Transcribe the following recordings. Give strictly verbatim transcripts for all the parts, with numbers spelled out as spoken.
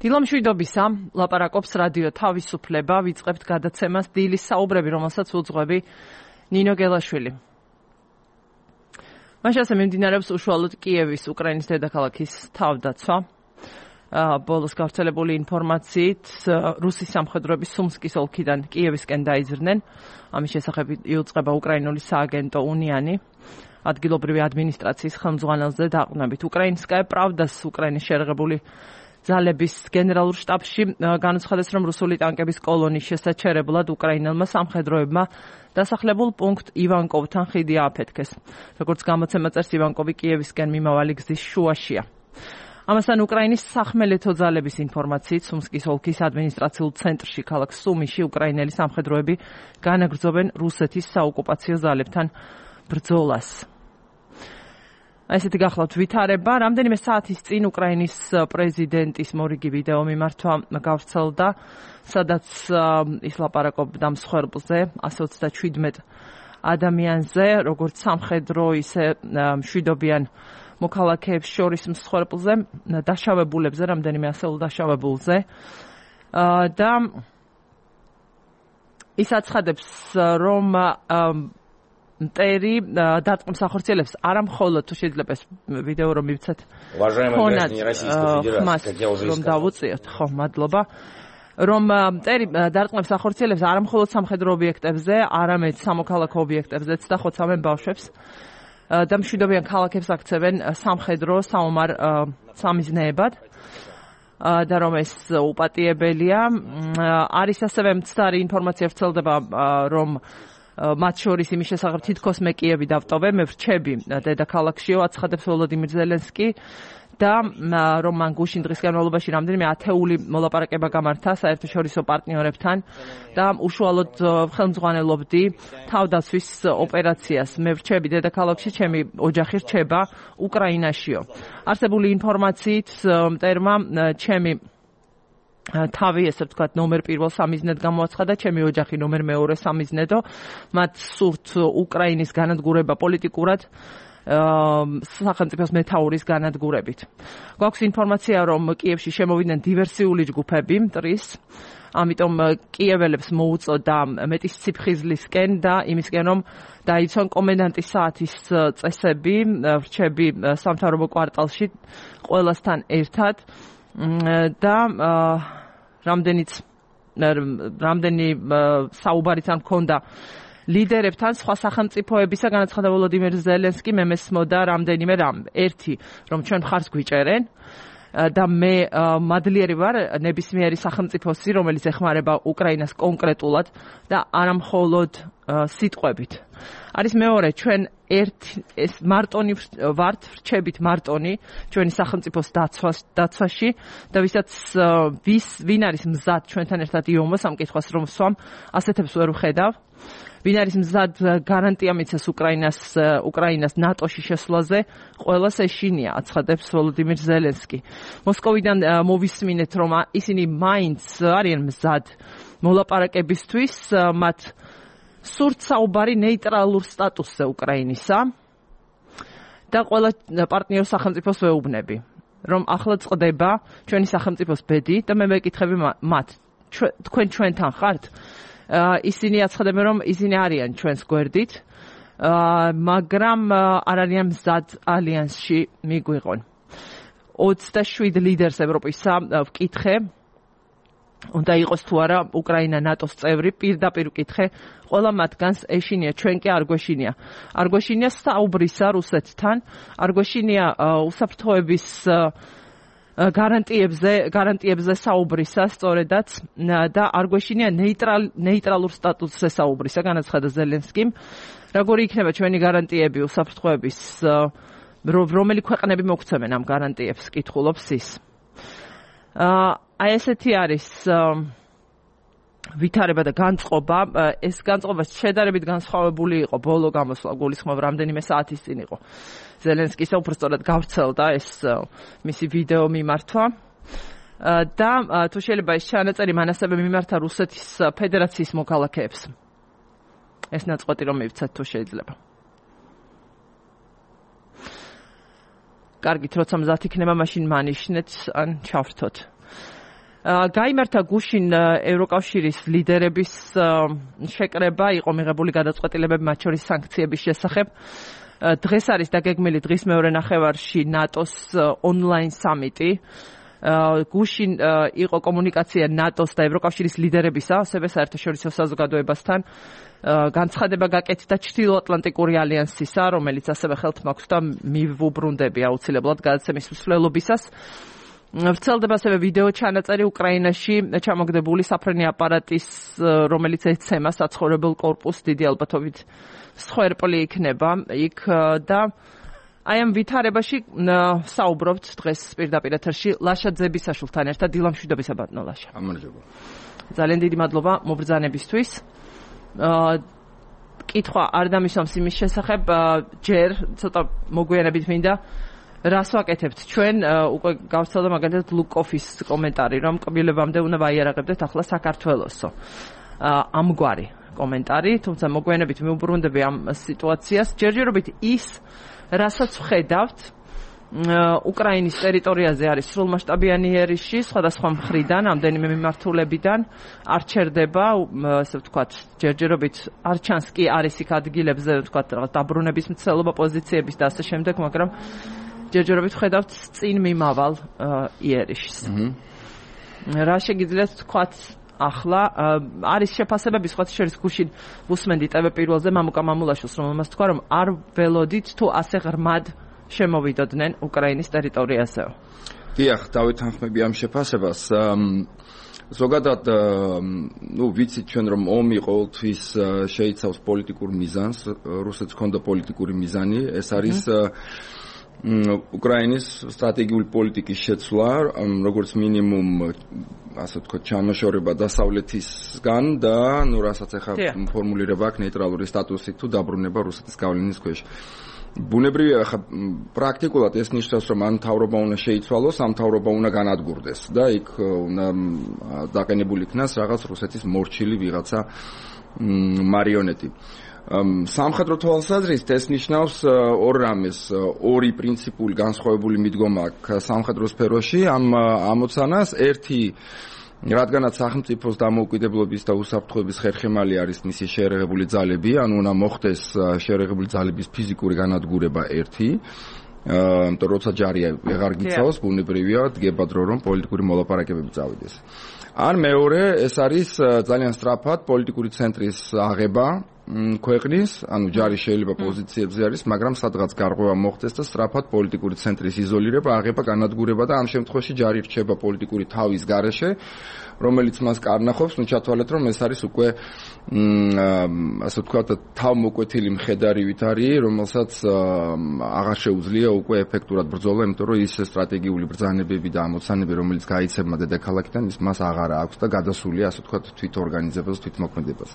დილამშვიდობისა, ლაპარაკობს რადიო თავისუფლება, ვიწყებთ გადაცემას დილის საუბრები, რომელსაც უძღვები ნინო გელაშვილი. მაშასე მიმდინარეობს უშუალოდ კიევის, უკრაინის დედაქალაქის თავდაცვა. ბოლოს გავრცელებული ინფორმაციით, რუსის სამხედროები სუმსკის ოლქიდან კიევისკენ დაიზრდნენ. ამის შესახებ იუწყება უკრაინული სააგენტო უნიანი. ადგილობრივი ადმინისტრაციის ხელმძღვანელზე დაყრდნობით. უკრაინსკაია პრავდას უკრაინის შეერაღებული ძალების გენერალურ შტაბში განუცხადეს, რომ რუსული ტანკების კოლონის შესაჩერებლად უკრაინელმა სამხედროებმა დასახლებულ პუნქტ ივანკოვთან ხიდი ააფეთქეს. როგორც გამოცემა წერს, ივანკოვი კიევისკენ მიმავალი გზის შუაშია. ამასთან უკრაინის სახმელეთო ძალების ინფორმაციით, სუმსკის ოლქის ადმინისტრაციულ ცენტრში, ქალაქ სუმიში, უკრაინელი სამხედროები განაგრძობენ რუსეთის საოკუპაციო ძალებთან ბრძოლას. ესეთი გახლავთ ვითარება. რამდენიმე საათის წინ უკრაინის პრეზიდენტის მორიგი ვიდეო მიმართვა გავრცელდა, სადაც ის ლაპარაკობდა მსხვერპლზე, ასზე ოცდაშვიდმეტ ადამიანზე, როგორც სამხედრო, ისე მშვიდობიან მოქალაქეებს შორის მსხვერპლზე, დაშავებულებზე, რამდენიმე ასეულ დაშავებულზე. და ის აცხადებს, რომ მტერი დარტყმის ახორციელებს არა მხოლოდ თუ შეიძლება ეს ვიდეო რომ მივცეთ რომ დავუწიოთ, ხო, მადლობა, რომ მტერი დარტყმის ახორციელებს არა მხოლოდ სამხედრო ობიექტებზე, არამედ სამოქალაქო ობიექტებზეც და ხოცავენ ბავშვებს და მშვიდობიან ქალაქებს აქცევენ სამხედრო საომარ სამიზნეებად და რომ ეს უპატიებელია. არის ასევე მცდარი ინფორმაცია ვრცელდება, რომ მათ შორის იმის შესახებ თითქოს მე კიევი დავტოვე, მე ვრჩები დედაქალაქშიო, აცხადებს ვოლოდიმირ ზელენსკი და რომ მან გუშინ დღის განმავლობაში რამდენიმე ათეული მოლაპარაკება გამართა საერთაშორისო პარტნიორებთან და უშუალოდ ხელმძღვანელობდი თავდაცვის ოპერაციას. მე ვრჩები დედაქალაქში, ჩემი ოჯახი რჩება უკრაინაშიო. არსებული ინფორმაციით მტერმა ჩემი თავი, ესე ვთქვათ, ნომერ პირველ სამიზნედ გამოაცხადა, ჩემი ოჯახი ნომერ მეორე სამიზნედო. მათ სურთ უკრაინის განადგურება პოლიტიკურად სახელმწიფოს მეთაურის განადგურებით. გვაქვს ინფორმაცია, რომ კიევში შემოვიდნენ დივერსიული ჯგუფები მტრის, ამიტომ კიეველებს მოუწოდა მეტის ციფხიზლისკენ და იმისკენ, რომ დაიცვან კომენდანტის საათის წესები, რჩები სამთავრობო კვარტალში ყველასთან ერთად და რამდენიც რამდენი საუბარიც არ მქონდა ლიდერებთან სხვა სახელმწიფოებისა, განაცხადა ვოლოდიმირ ზელენსკი, მე მესმოდა რამდენიმე რამ. ერთი, რომ ჩვენ მხარს გვიჭერენ და მე მადლიერი ვარ ნებისმიერი სახელმწიფოსი, რომელიც ეხმარება უკრაინას კონკრეტულად და არა მხოლოდ სიტყვებით. არის მეორე, ჩვენ ერთ ეს მარტონი ვართ, ვრჩებით მარტონი ჩვენი სახელმწიფოს დაცვაში და ვისაც ვის ვინ არის მზად ჩვენთან ერთად იომოს ამ კითხვას რომ ვსვამ, ასეთებს ვერ ვხედავ. ვინ არის მზად გარანტია მიცეს უკრაინას უკრაინას ნატოში შესვლაზე, ყველას ეშინია, აცხადებს ვოლოდიმირ ზელენსკი. მოსკოვიდან მოვისმინეთ, რომ ისინი მაინც არიან მზად მოლაპარაკებისთვის, მათ სურთ საუბარი ნეიტრალურ სტატუსზე უკრაინისა და ყველა პარტნიორ სახელმწიფოს ვეუბნები, რომ ახლა წყდება ჩვენი სახელმწიფოს ბედი და მე მეკითხები მათ, თქვენ ჩვენთან ხართ? ისინი აცხადებენ, რომ ისინი არიან ჩვენს გვერდით, მაგრამ არ არიან მზად ალიანსში მიგვიყონ. ოცდაშვიდ ლიდერს ევროპისა ვკითხე, უნდა იყოს თუ არა უკრაინა ნატოს წევრი, პირდაპირ ვკითხე, ყველა მათგანს ეშინია, ჩვენ კი არ გვეშინია. არ გვეშინია საუბრისა რუსეთთან, არ გვეშინია უსაფრთხოების გარანტიებზე, გარანტიებზე საუბრისა, სწორედაც და არ გვეშინია ნეიტრალ ნეიტრალურ სტატუსზე საუბრისა, განაცხადა ზელენსკიმ. როგორი იქნება ჩვენი გარანტიები უსაფრთხოების, რომელი ქვეყნები მოგცემენ ამ გარანტიებს, კითხულობს ის. აი ესეთი არის ვითარება და განწყობა. ეს განწყობა შედარებით განსხვავებული იყო ბოლო გამოსვლა, გულისხმობ რამდენიმე საათის წინ იყო. ზელენსკის უბრალოდ გავრცელდა ეს მისი ვიდეო მიმართვა და თუ შეიძლება ეს ჩანაწერი მან ასევე მიმართა რუსეთის ფედერაციის მოქალაქეებს. ეს ნაწყვეტი რომ მივცეთ თუ შეიძლება. კარგით, როცა მზად იქნება, მაშინ მანიშნეთ ან ჩავრთოთ. გაიმართა გუშინ ევროკავშირის ლიდერების შეკრება, იყო მიღებული გადაწყვეტილებები მათ შორის სანქციების შესახებ. დღეს არის დაგეგმილი დღის მეორე ნახევარში ნატოს ონლაინ სამიტი. გუშინ იყო კომუნიკაცია ნატოს და ევროკავშირის ლიდერებისა, ასევე საერთაშორისო საზოგადოებასთან. განცხადება გაკეთდა ჩრდილოატლანტიკური ალიანსისა, რომელიც ასევე ხელთ მაქვს და მივუბრუნდები აუცილებლად გადაცემის მსვლელობისას. ვრცელდება ასევე ვიდეო ჩანაწერი უკრაინაში ჩამოგდებული საფრენი აპარატის, რომელიც ეცემა საცხოვრებელ კორპუსს, დიდი ალბათობით სხერპლი იქნება იქ და აი ამ ვითარებაში საუბრობთ დღეს პირდაპირ ეთერში ლაშა ძებისაშვილთან ერთად. დილამშვიდობისა ბატონო ლაშა. გამარჯობა. ძალიან დიდი მადლობა მობრძანებისთვის. კითხვა არ დამისვამს იმის შესახებ, ჯერ ცოტა მოგვიანებით მინდა რას ვაკეთებთ ჩვენ, უკვე გავცელდა მაგალითად ლუკოფის კომენტარი, რომ კბილებამდე უნდა ვაიარაღებდეთ ახლა საქართველოსო. ამგვარი კომენტარი, თუმცა მოგვიანებით მივუბრუნდები ამ სიტუაციას. ჯერჯერობით ის, რასაც ვხედავთ, უკრაინის ტერიტორიაზე არის სრულმასშტაბიანი ერიში, სხვადასხვა მხრიდან, ამდენიმე მიმართულებიდან არ ჩერდება, ასე ვთქვათ, ჯერჯერობით არ ჩანს კი არის იქ ადგილებზე, ვთქვათ, რაღაც დაბრუნების მცდელობა პოზიციების და ასე შემდეგ, მაგრამ ჯერჯერობით ვხედავთ წინ მიმავალ იერიშს. რა შეგიძლიათ ვთქვათ ახლა არის შეფასებები სხვა შორის გუშინ ვუსმენდი ტევ პირველზე მამუკა მამულაშვილს, რომელმაც თქვა, რომ არ ველოდით თუ ასე ღრმად შემოვიდოდნენ უკრაინის ტერიტორიაზე. დიახ, დავეთანხმები ამ შეფასებას. ზოგადად, ნუ ვიცით ჩვენ რომ ომი ყოველთვის შეიცავს პოლიტიკურ მიზანს, რუსეთს ჰქონდა პოლიტიკური მიზანი, ეს არის უკრაინის სტრატეგიული პოლიტიკის შეცვლა, როგორც მინიმუმ ასე ვთქვათ, ჩამოშორება დასავლეთისგან და ნუ რასაც ახლა ფორმულირება აქვს ნეიტრალური სტატუსი თუ დაბრუნება რუსეთის გავლენის ქვეშ. ბუნებრივია, ახლა პრაქტიკულად ეს ნიშნავს, რომ ამ მთავრობა უნდა შეიცვალოს, ამ მთავრობა უნდა განადგურდეს და იქ უნდა დაყენებული იქნას რაღაც რუსეთის მორჩილი ვიღაცა მარიონეტი. სამხედრო თვალსაზრისით ეს ნიშნავს ორ რამეს, ორი პრინციპული განსხვავებული მიდგომა აქვს სამხედრო სფეროში ამ ამოცანას. ერთი, რადგანაც სახელმწიფოს დამოუკიდებლობის და უსაფრთხოების ხერხემალი არის მისი შეერაღებული ძალები, ანუ უნდა მოხდეს შეერაღებული ძალების ფიზიკური განადგურება ერთი, იმიტომ როცა ჯარი აღარ გიცავს, ბუნებრივია დგება დრო რომ პოლიტიკური მოლაპარაკებები წავიდეს. ან მეორე, ეს არის ძალიან სწრაფად პოლიტიკური ცენტრის აღება ქვეყნის, ანუ ჯარი შეიძლება პოზიციებზე არის, მაგრამ სადღაც გარღვევა მოხდეს და სწრაფად პოლიტიკური ცენტრის იზოლირება, აღება, განადგურება და ამ შემთხვევაში ჯარი რჩება პოლიტიკური თავის გარეშე, რომელიც მას კარნახობს, ნუ ჩათვალეთ, რომ ეს არის უკვე ასე ვთქვათ, თავმოკვეთილი მხედარივით არის, რომელსაც აღარ შეუძლია უკვე ეფექტურად ბრძოლა, იმიტომ რომ ის სტრატეგიული ბრძანებები და ამოცანები, რომელიც გაიცემა დედაქალაქიდან, ის მას აღარ აქვს და გადასულია, ასე ვთქვათ, თვითორგანიზებას, თვითმოქმედებას.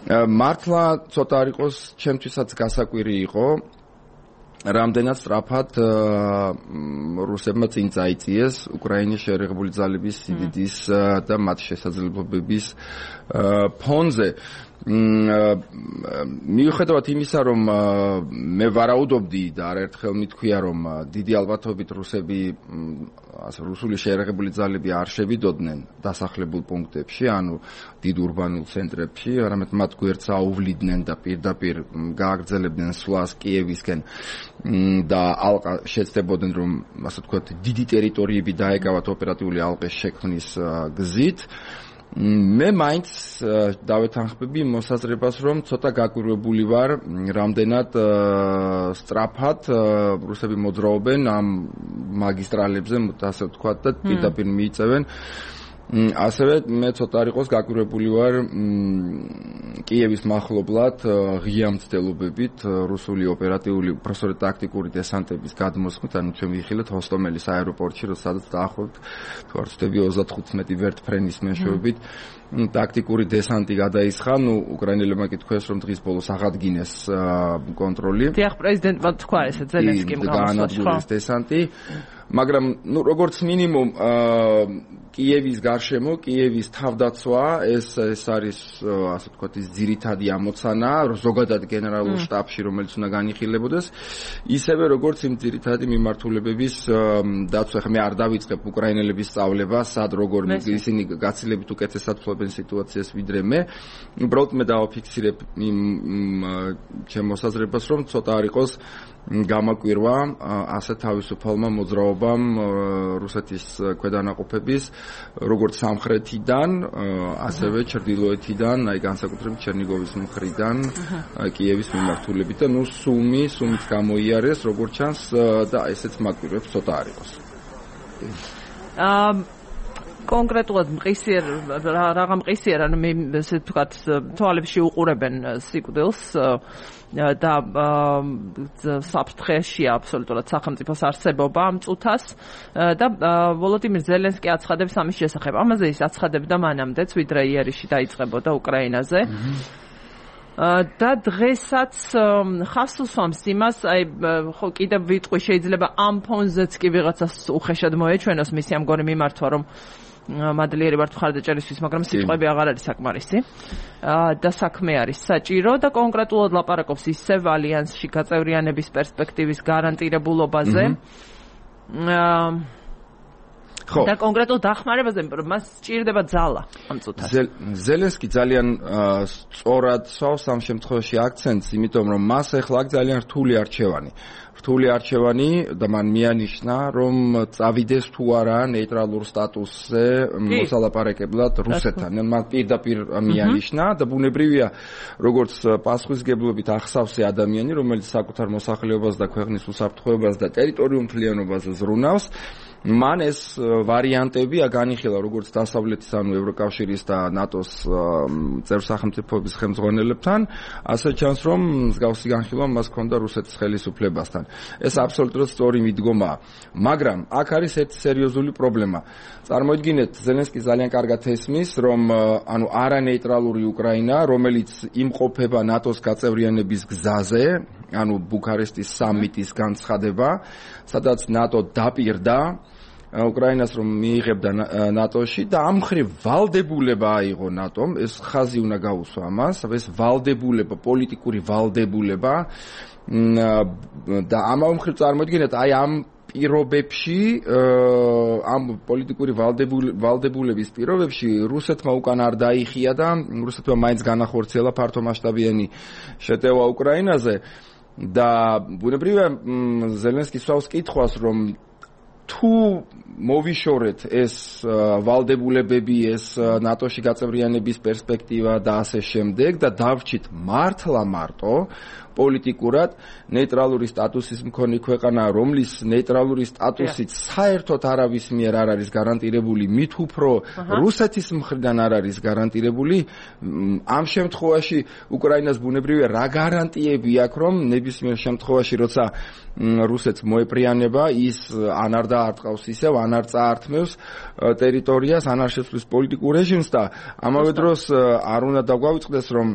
მართლა ცოტა არ იყოს, ჩემთვისაც გასაკვირი იყო, რამდენად სწრაფად რუსებმა წინ წაიწიეს უკრაინის შეერაღებული ძალების სიდიდის და მათ შესაძლებლობების ფონზე. მიუხედავად იმისა, რომ მე ვარაუდობდი და არაერთხელ მithქვია, რომ დიდი ალბათობით რუსები ასე რუსული შეერაღებული ძალები არ შევიდოდნენ დასახლებულ პუნქტებში, ანუ დიდ ურბანულ ცენტრებში, არამედ მათ გვერდს აუვლიდნენ და პირდაპირ გააგრძელებდნენ სვლას კიევისკენ და ალყა შეცდებოდნენ, რომ ასე ვთქვათ, დიდი ტერიტორიები დაეკავათ ოპერატიული ალყის შექმნის გზით. მე მაინც დავეთანხმები მოსაზრებას, რომ ცოტა გაკვირვებული ვარ, რამდენად სწრაფად რუსები მოძრაობენ ამ მაგისტრალებზე, ასე ვთქვათ, და პირდაპირ მიიწევენ. ასევე მე ცოტა არ იყოს გაკვირვებული ვარ კიევის მახლობლად ღია მცდელობებით რუსული ოპერატიული უпроსორე ტაქტიკური დესანტების გადმოსხმით, ანუ ჩვენ ვიხილეთ ჰოსტომელის აეროპორტში, სადაც დაახლოებით თუ არ ვცდები ოცდათხუთმეტი ვერტფრენის მეშვეობით ტაქტიკური დესანტი გადაისხა. ნუ უკრაინელებმა კითხეს, რომ დღის ბოლოს აღადგინეს კონტროლი. დიახ, პრეზიდენტმა თქვა ესე ზელენსკიმ გაანადგურეს დესანტი. მაგრამ ნუ როგორც მინიმუმ კიევის გარშემო, კიევის თავდაცვა ეს ეს არის ასე ვთქვათ ის ძირითადი ამოცანა ზოგადად გენერალურ შტაბში რომელიც უნდა განიხილებოდეს ისევე როგორც იმ ძირითადი მიმართულებების დაცვა ხა მე არ დავიწყებ უკრაინელების სწავლებას სად როგორ ისინი გაცილებით უკეთესად ფლობენ სიტუაციას ვიდრე მე უბრალოდ მე დავაფიქსირებ იმ ჩემ მოსაზრებას რომ ცოტა არ იყოს გამაკვირვა ასე თავისუფალმა მოძრაობამ რუსეთის ქვედანაყოფების როგორც სამხრეთიდან ასევე ჩრდილოეთიდან აი განსაკუთრებით ჩერნიგოვის მხრიდან კიევის მიმართულებით და ნუ სუმი სუმით გამოიარეს როგორც ჩანს და ესეც მაკვირვებს ცოტა არ იყოს აა კონკრეტულად მყისიერ რაღა მყისიერ ანუ მე ესე ვთქვათ თვალებში უყურებენ სიკვდილს და საფრთხეში აბსოლუტურად სახელმწიფოს არსებობა ამ წუთას და ვოლოდიმირ ზელენსკი აცხადებს ამის შესახებ. ამაზე ის აცხადებდა მანამდეც, ვიდრე იერიში დაიწყებოდა უკრაინაზე. და დღესაც ხავს უსვამს იმას, აი ხო კიდევ ვიტყვი შეიძლება ამ ფონზეც კი ვიღაცას უხეშად მოეჩვენოს მისი ამგონი მიმართვა, რომ მადლიერი ვართ მხარდაჭერისთვის, მაგრამ სიტყვები აღარ არის საკმარისი. და საქმე არის საჭირო და კონკრეტულად ლაპარაკობს ისევ ალიანსში გაწევრიანების პერსპექტივის გარანტირებულობაზე. ხო. და კონკრეტულ დახმარებაზე მას სჭირდება ძალა ამ წუთას. ზელენსკი ძალიან სწორად სვავს ამ შემთხვევაში აქცენტს, იმიტომ რომ მას ახლა ძალიან რთული არჩევანი. რთული არჩევანი და მან მიანიშნა, რომ წავიდეს თუ არა ნეიტრალურ სტატუსზე მოსალაპარაკებლად რუსეთთან. მან პირდაპირ მიანიშნა და ბუნებრივია, როგორც პასუხისგებლობით ახსავსე ადამიანი, რომელიც საკუთარ მოსახლეობას და ქვეყნის უსაფრთხოებას და ტერიტორიულ მთლიანობაზე ზრუნავს. მან ეს ვარიანტები განიხილა როგორც დასავლეთის ანუ ევროკავშირის და ნატოს წევრ-სახელმწიფოების ხელმძღვანელებთან, ასე ჩანს რომ მსგავსი განხილვა მას ჰქონდა რუსეთის ხელისუფლებასთან. ეს აბსოლუტურად სწორი მიდგომაა, მაგრამ აქ არის ერთი სერიოზული პრობლემა. წარმოიდგინეთ, ზელენსკი ძალიან კარგად ესმის, რომ ანუ არანეიტრალური უკრაინა, რომელიც იმყოფება ნატოს გაწევრიანების გზაზე, ანუ ბუქარესტის სამიტის განცხადება, სადაც ნატო დაპირდა უკრაინას რომ მიიღებდა ნატოში და ამ მხრივ ვალდებულება აიღო ნატომ, ეს ხაზი უნდა გაუსვა ამას, ეს ვალდებულება, პოლიტიკური ვალდებულება და ამავე მხრივ წარმოიდგინეთ, აი ამ პირობებში, ამ პოლიტიკური ვალდებულების პირობებში რუსეთმა უკან არ დაიხია და რუსეთმა მაინც განახორციელა ფართომასშტაბიანი შეტევა უკრაინაზე და ბუნებრივია ზელენსკი სვავს კითხვას, რომ თუ მოვიშორეთ ეს ვალდებულებები, ეს ნატოში გაწევრიანების პერსპექტივა და ასე შემდეგ და დავრჩით მართლა მარტო პოლიტიკურად ნეიტრალური სტატუსის მქონე ქვეყანა, რომლის ნეიტრალური სტატუსით საერთოდ არავის მიერ არ არის გარანტირებული, მით უფრო რუსეთის მხრიდან არ არის გარანტირებული, ამ შემთხვევაში უკრაინას ბუნებრივია რა გარანტიები აქვს, რომ ნებისმიერ შემთხვევაში, როცა რუსეთს მოეპრიანება, ის ან არ დაარტყავს ისევ, ან არ წაართმევს ტერიტორიას, ან არ შეცვლის პოლიტიკურ რეჟიმს და ამავე დროს არ უნდა დაგვავიწყდეს, რომ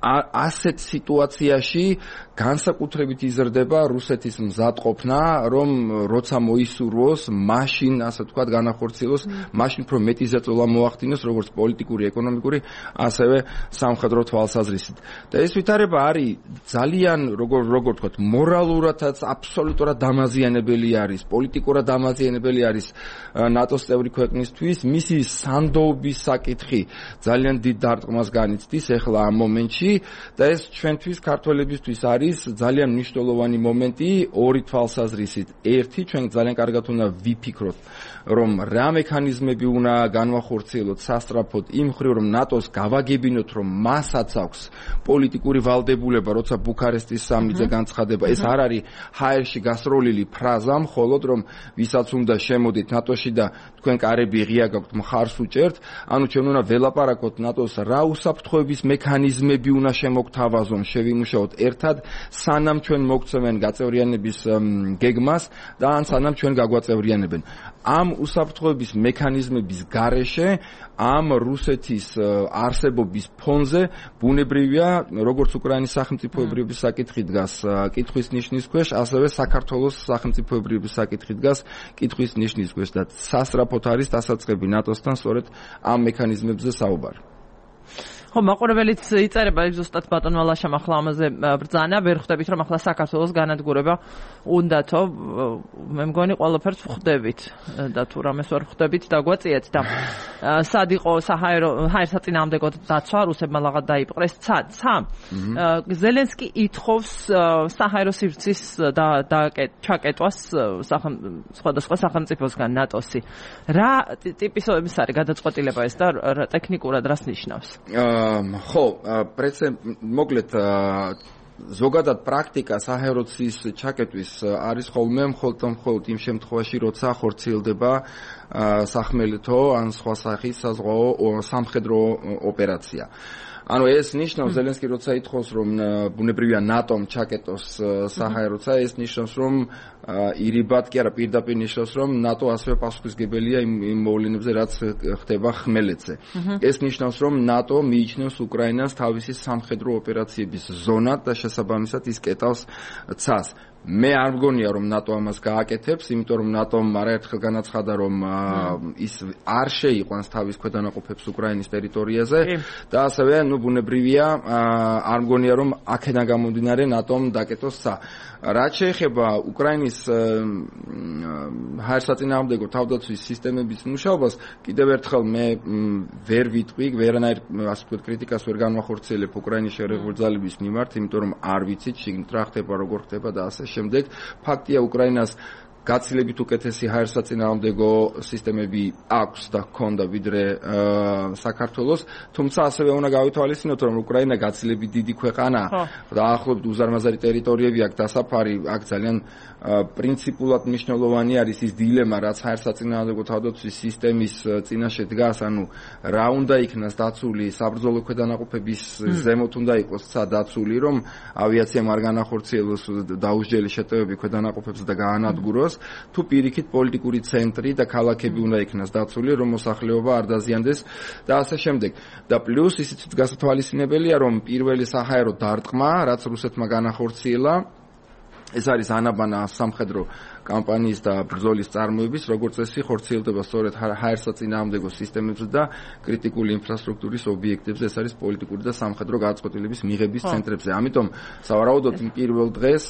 ასეთ სიტუაციაში განსაკუთრებით იზრდება რუსეთის მზადყოფნა, რომ როცა მოისურვოს, მაშინ, ასე ვთქვათ, განახორციელოს, მაშინ უფრო მეტი ზეწოლა მოახდინოს, როგორც პოლიტიკური, ეკონომიკური, ასევე სამხედრო თვალსაზრისით. და ეს ვითარება არის ძალიან, როგორ როგორ ვთქვათ, მორალურადაც აბსოლუტურად დამაზიანებელი არის, პოლიტიკურად დამაზიანებელი არის ნატოს წევრი ქვეყნისთვის, მისი სანდოობის საკითხი ძალიან დიდ დარტყმას განიცდის ახლა ამ მომენტში და ეს ჩვენთვის ქართველებისთვის არის ძალიან მნიშვნელოვანი მომენტი ორი თვალსაზრისით. ერთი, ჩვენ ძალიან კარგად უნდა ვიფიქროთ, რომ რა მექანიზმები უნდა განვახორციელოთ სასწრაფოდ იმ მხრივ, რომ ნატოს გავაგებინოთ, რომ მასაც აქვს პოლიტიკური ვალდებულება, როცა ბუქარესტის სამიტზე განცხადება. ეს არ არის ჰაერში გასროლილი ფრაზა, მხოლოდ რომ ვისაც უნდა შემოდით ნატოში და თქვენ კარები ღია გაქვთ, მხარს უჭერთ, ანუ ჩვენ უნდა ველაპარაკოთ ნატოს რა უსაფრთხოების მექანიზმები უნდა შემოგთავაზონ, შევიმუშაოთ ერთად, სანამ ჩვენ მოგწევენ გაწევრიანების გეგმას და ან სანამ ჩვენ გაგვაწევრიანებენ. ამ უსაფრთხოების მექანიზმების გარეშე ამ რუსეთის არსებობის ფონზე ბუნებრივია, როგორც უკრაინის სახელმწიფოებრიობის საკითხი დგას კითხვის ნიშნის ქვეშ, ასევე საქართველოს სახელმწიფოებრიობის საკითხი დგას კითხვის ნიშნის ქვეშ და სასწრაფოდ არის დასაწყები ნატოსთან სწორედ ამ მექანიზმებზე საუბარი. ხო, მაყურებელიც იწერება ზუსტად ბატონმა ლაშამ ახლა ამაზე ბრძანა, ვერ ხვდებით რომ ახლა საქართველოს განადგურება უნდათო, მე მგონი ყველაფერს ვხვდებით და თუ რამეს ვერ ხვდებით დაგვაწიეთ და სად იყო საჰაერო ჰაერსაწინააღმდეგო დაცვა რუსებმა ლაღად დაიპყრეს ცა ზელენსკი ითხოვს საჰაერო სივრცის და და ჩაკეტვას სხვადასხვა სახელმწიფოსგან ნატოსი. რა ტიპის ის არის გადაწყვეტილება ეს და ტექნიკურად რას ნიშნავს? ხო, პრეცედენტ მოკლედ ზოგადად პრაქტიკა საჰაეროცის ჩაკეტვის არის ხოლმე მხოლოდ მხოლოდ იმ შემთხვევაში, როცა ხორციელდება სახმელეთო ან სხვა სახის საზღვაო სამხედრო ოპერაცია. ანუ ეს ნიშნავს ზელენსკი როცა ითხოვს რომ ბუნებრივია ნატომ ჩაკეტოს საჰაეროცა, ეს ნიშნავს რომ ირიბად კი არა პირდაპირ ნიშნავს რომ ნატო ასევე პასუხისმგებელია იმ მოვლენებზე რაც ხდება ხმელეთზე. ეს ნიშნავს რომ ნატო მიიჩნევს უკრაინას თავისი სამხედრო ოპერაციების ზონად და შესაბამისად ის კეტავს ცას. მე არ მგონია რომ ნატო ამას გააკეთებს, იმიტომ რომ ნატომ არაერთხელ განაცხადა რომ ის არ შეიყვანს თავის ქვედანაყოფებს უკრაინის ტერიტორიაზე და ასევე ნუ ბუნებრივია არ მგონია რომ აქედან გამომდინარე ნატომ დაკეტოს ცა. რაც შეეხება უკრაინის ჰაერსაწინააღმდეგო თავდაცვის სისტემების მუშაობას, კიდევ ერთხელ მე ვერ ვიტყვი, ვერანაირ ასე ვთქვათ კრიტიკას ვერ განვახორციელებ უკრაინის შერეულ ძალების მიმართ, იმიტომ რომ არ ვიცით შიგნით რა ხდება, როგორ ხდება და ასე შემდეგ. ფაქტია უკრაინას გაცილებით უკეთესი ჰაერსაწინააღმდეგო სისტემები აქვს და ჰქონდა ვიდრე საქართველოს, თუმცა ასევე უნდა გავითვალისწინოთ რომ უკრაინა გაცილებით დიდი ქვეყანაა და ახლობთ უზარმაზარი ტერიტორიები აქვს დასაფარი, აქ ძალიან პრინციპულად მნიშვნელოვანი არის ის დილემა, რაც ჰაერსაწინააღმდეგო თავდაცვის სისტემის წინაშე დგას, ანუ რა უნდა იქნას დაცული საბრძოლო ქვედანაყოფების ზემოთ უნდა იყოს ცა დაცული, რომ ავიაციამ არ განახორციელოს დაუსჯელი შეტევები ქვედანაყოფებზე და გაანადგუროს, თუ პირიქით პოლიტიკური ცენტრი და ქალაქები უნდა იქნას დაცული, რომ მოსახლეობა არ დაზიანდეს და ასე შემდეგ. და პლუს ისიც გასათვალისწინებელია, რომ პირველი საჰაერო დარტყმა, რაც რუსეთმა განახორციელა, ეს არის ანაბანა სამხედრო კამპანიის და ბრძოლის წარმოების, როგორც წესი ხორციელდება სწორედ ჰაერსაწინააღმდეგო სისტემებზე და კრიტიკული ინფრასტრუქტურის ობიექტებზე, ეს არის პოლიტიკური და სამხედრო გადაწყვეტილების მიღების ცენტრებზე. ამიტომ სავარაუდოდ პირველ დღეს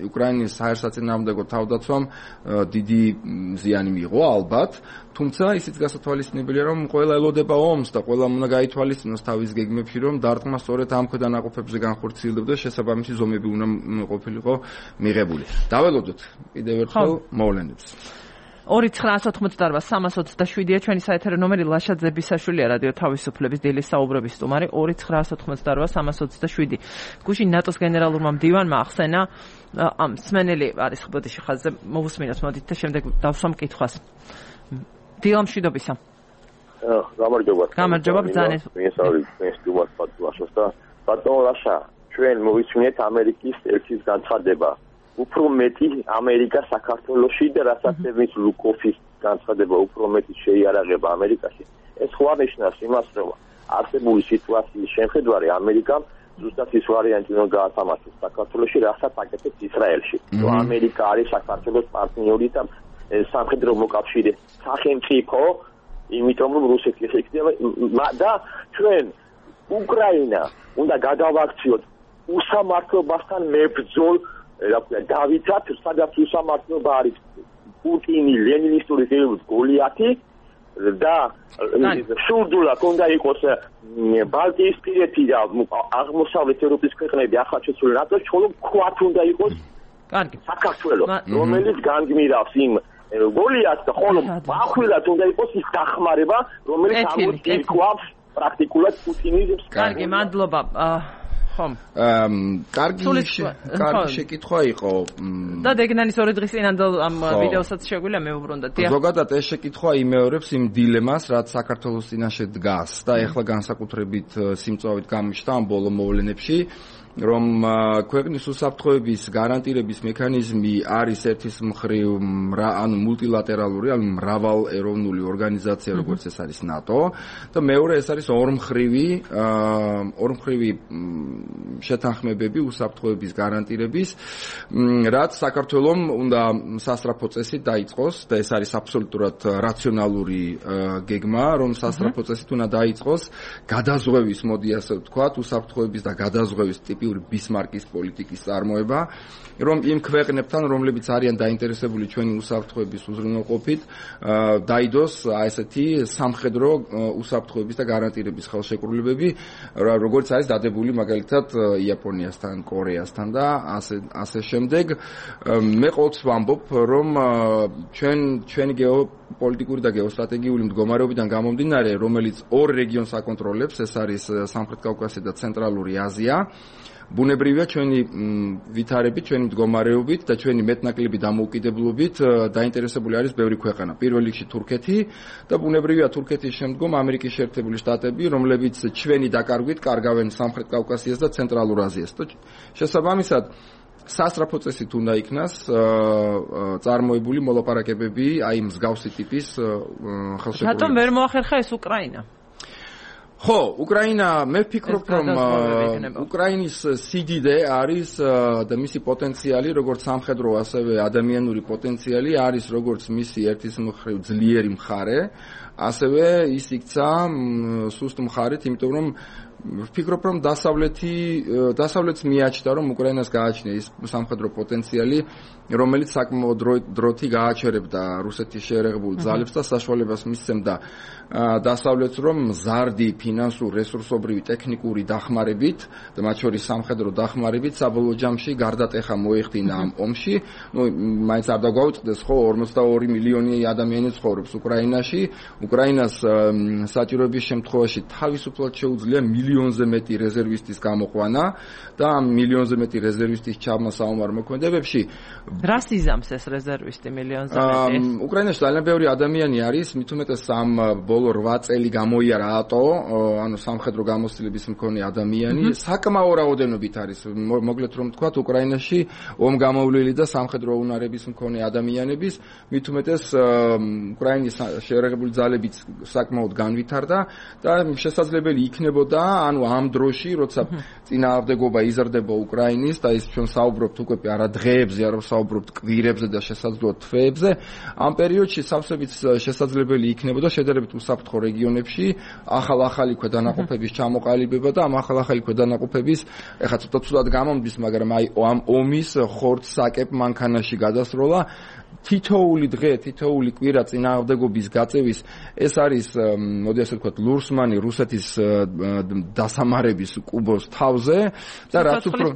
უკრაინის ჰაერსაწინააღმდეგო თავდაცვამ დიდი ზიანი მიიღო ალბათ, თუმცა ისიც გასათვალისწინებელია, რომ ყველა ელოდება ომს და ყველა უნდა გაითვალისწინოს თავის გეგმებში, რომ დარტყმა სწორედ ამ ქვედანაყოფებზე განხორციელდება, შესაბამისი ზომები უნდა ყოფილიყო მიღებული. დაველოდოთ კიდევ ერთხელ მოვლენებს. ორი ცხრაას ოთხმოცდაარბა სამას ოცდაშვიდია ჩვენი საეთერო ნომერი, ლაშა ძებისაშვილია რადიო თავისუფლების დილის საუბრების სტუმარი. ორი ცხრაას ოთხმოცდაარბა სამას ოცდაშვიდი. გუშინ ნატოს გენერალურმა მდივანმა ახსენა ამ სმენელი არის ხბოდიში ხაზზე მოვუსმინოთ, მოდით და შემდეგ დავსვამ კითხვას. დილა მშვიდობისა. გამარჯობა. გამარჯობა ბრძანეთ. მესაური ეს დუმას პატუაშოს და ბატონ ლაშა, ჩვენ მოვისმინეთ ამერიკის ელჩის განცხადება. უფრო მეტი ამერიკა საქართველოში და რასაც ევნის ლუკოფის განცხადება უფრო მეტი შეიარაღება ამერიკაში. ეს ხო აღნიშნავს იმას, რომ არსებული სიტუაციის შეხედვარი ამერიკამ ზუსტად ის ვარიანტი უნდა გაათამაშოს საქართველოში, რასაც აკეთებს ისრაელში. რომ ამერიკა არის საქართველოს პარტნიორი და სამხედრო მოკავშირე სახელმწიფო, იმიტომ რომ რუსეთი ეხება და ჩვენ უკრაინა უნდა გადავაქციოთ უსამართლობასთან მებრძოლ რა ქვია დავითად, სადაც უსამართლობა არის პუტინი, ლენინისტური რეჟიმის გოლიათი და სურდულა უნდა იყოს ბალტიისპირეთი და აღმოსავლეთ ევროპის ქვეყნები ახალ შეცვლილ ნატოს, ხოლო ქვათ უნდა იყოს კარგი საქართველო, რომელიც განგმირავს იმ გოლიათს და ხოლო ახვილად უნდა იყოს ის დახმარება, რომელიც ამოწირკვავს პრაქტიკულად პუტინიზმს. კარგი, მადლობა. ხომ? კარგი კარგი შეკითხვა იყო. და დეგნანის ორი დღის წინანდელ ამ ვიდეოსაც შეგვიძლია მეუბრუნდეთ. ზოგადად ეს შეკითხვა იმეორებს იმ დილემას, რაც საქართველოს წინაშე დგას და ეხლა განსაკუთრებით სიმწვავით გამოჩნდა ამ ბოლო მოვლენებში. რომ ქვეყნის უსაფრთხოების გარანტირების მექანიზმი არის ერთის მხრივ ანუ მულტილატერალური, ანუ მრავალეროვნული ორგანიზაცია, როგორც ეს არის ნატო და მეორე ეს არის ორმხრივი ორმხრივი შეთანხმებები უსაფრთხოების გარანტირების, რაც საქართველოს უნდა სასწრაფო წესით დაიწყოს და ეს არის აბსოლუტურად რაციონალური გეგმა, რომ სასწრაფო წესით უნდა დაიწყოს გადაზღვევის, მოდი ასე ვთქვათ, უსაფრთხოების და გადაზღვევის ბისმარკის პოლიტიკის წარმოება, რომ იმ ქვეყნებთან, რომლებიც არიან დაინტერესებული ჩვენი უსაფრთხოების უზრუნველყოფით, დაიდოს ესეთი სამხედრო უსაფრთხოების და გარანტირების ხელშეკრულებები, როგორც არის დადებული მაგალითად იაპონიასთან, კორეასთან და ასე ასე შემდეგ. მე ყოველთვის ვამბობ, რომ ჩვენ ჩვენი გეოპოლიტიკური და გეოსტრატეგიული მდგომარეობიდან გამომდინარე, რომელიც ორ რეგიონს აკონტროლებს, ეს არის სამხრეთ კავკასია და ცენტრალური აზია. ბუნებრივია ჩვენი ვითარებით, ჩვენი მდგომარეობით და ჩვენი მეტნაკლები დამოუკიდებლობით დაინტერესებული არის ბევრი ქვეყანა. პირველ რიგში თურქეთი და ბუნებრივია თურქეთის შემდგომ ამერიკის შეერთებული შტატები, რომლებიც ჩვენი დაკარგვით კარგავენ სამხრეთ კავკასიას და ცენტრალურ აზიას. შესაბამისად, სასწრაფო წესით უნდა იქნას წარმოებული მოლაპარაკებები აი მსგავსი ტიპის ხელშეკრულებები. რატომ ვერ მოახერხა ეს უკრაინა? ხო, უკრაინა, მე ვფიქრობ, რომ უკრაინის სიდიდე არის და მისი პოტენციალი, როგორც სამხედრო, ასევე ადამიანური პოტენციალი არის, როგორც მისი ერთის მხრივ ძლიერი მხარე, ასევე ის იქცა სუსტ მხარით, იმიტომ რომ ვფიქრობ, რომ დასავლეთი დასავლეთს მიაჩნდა, რომ უკრაინას გააჩნია ის სამხედრო პოტენციალი, რომელიც საკმაოდ დროთი გააჩერებდა რუსეთის შეერაღებულ ძალებს და საშუალებას მისცემდა დასავლეთს, რომ მზარდი ფინანსურ, რესურსობრივი, ტექნიკური დახმარებით და მათ შორის სამხედრო დახმარებით საბოლოო ჯამში გარდატეხა მოეხდინა ამ ომში. ნუ მაინც არ დაგვაუწყდეს, ხო, ორმოცდაორი მილიონი ადამიანი ცხოვრობს უკრაინაში. უკრაინას საჭიროების შემთხვევაში თავისუფლად შეუძლია მილიონზე მეტი რეზერვისტის გამოყვანა და ამ მილიონზე მეტი რეზერვისტის ჩაბმა საომარ მოქმედებებში. რას იზამს ეს რეზერვისტი მილიონზე მეტი? უკრაინაში ძალიან ბევრი ადამიანი არის, მით უმეტეს ამ ბოლო რვა წელი გამოიარა ატო, ანუ სამხედრო გამოცდილების მქონე ადამიანი, საკმაო რაოდენობით არის. მოკლედ რომ ვთქვათ, უკრაინაში ომგამოვლილი და სამხედრო უნარების მქონე ადამიანების, მით უმეტეს უკრაინის შეერაღებული ძალებიც საკმაოდ განვითარდა და შესაძლებელი იქნებოდა, ანუ ამ დროში, როცა წინააღმდეგობა იზრდება უკრაინის და ის ჩვენ საუბრობთ უკვე არა დღეებზე, არა საუბრობთ კვირებზე და შესაძლოა თვეებზე, ამ პერიოდში სავსებით შესაძლებელი იქნებოდა შედარებით უსაფრთხო რეგიონებში ახალ-ახალი ქვედანაყოფების ჩამოყალიბება და ამ ახალ-ახალი ქვედანაყოფების ეხლა ცოტა ცუდად გამომდის, მაგრამ აი ამ ომის ხორცსაკებ მანქანაში გადასროლა თითოეული დღე, თითოეული კვირა წინააღმდეგობის გაწევის ეს არის, მოდი ასე ვთქვათ, ლურსმანი რუსეთის დასამარების კუბოს თავზე და რაც უფრო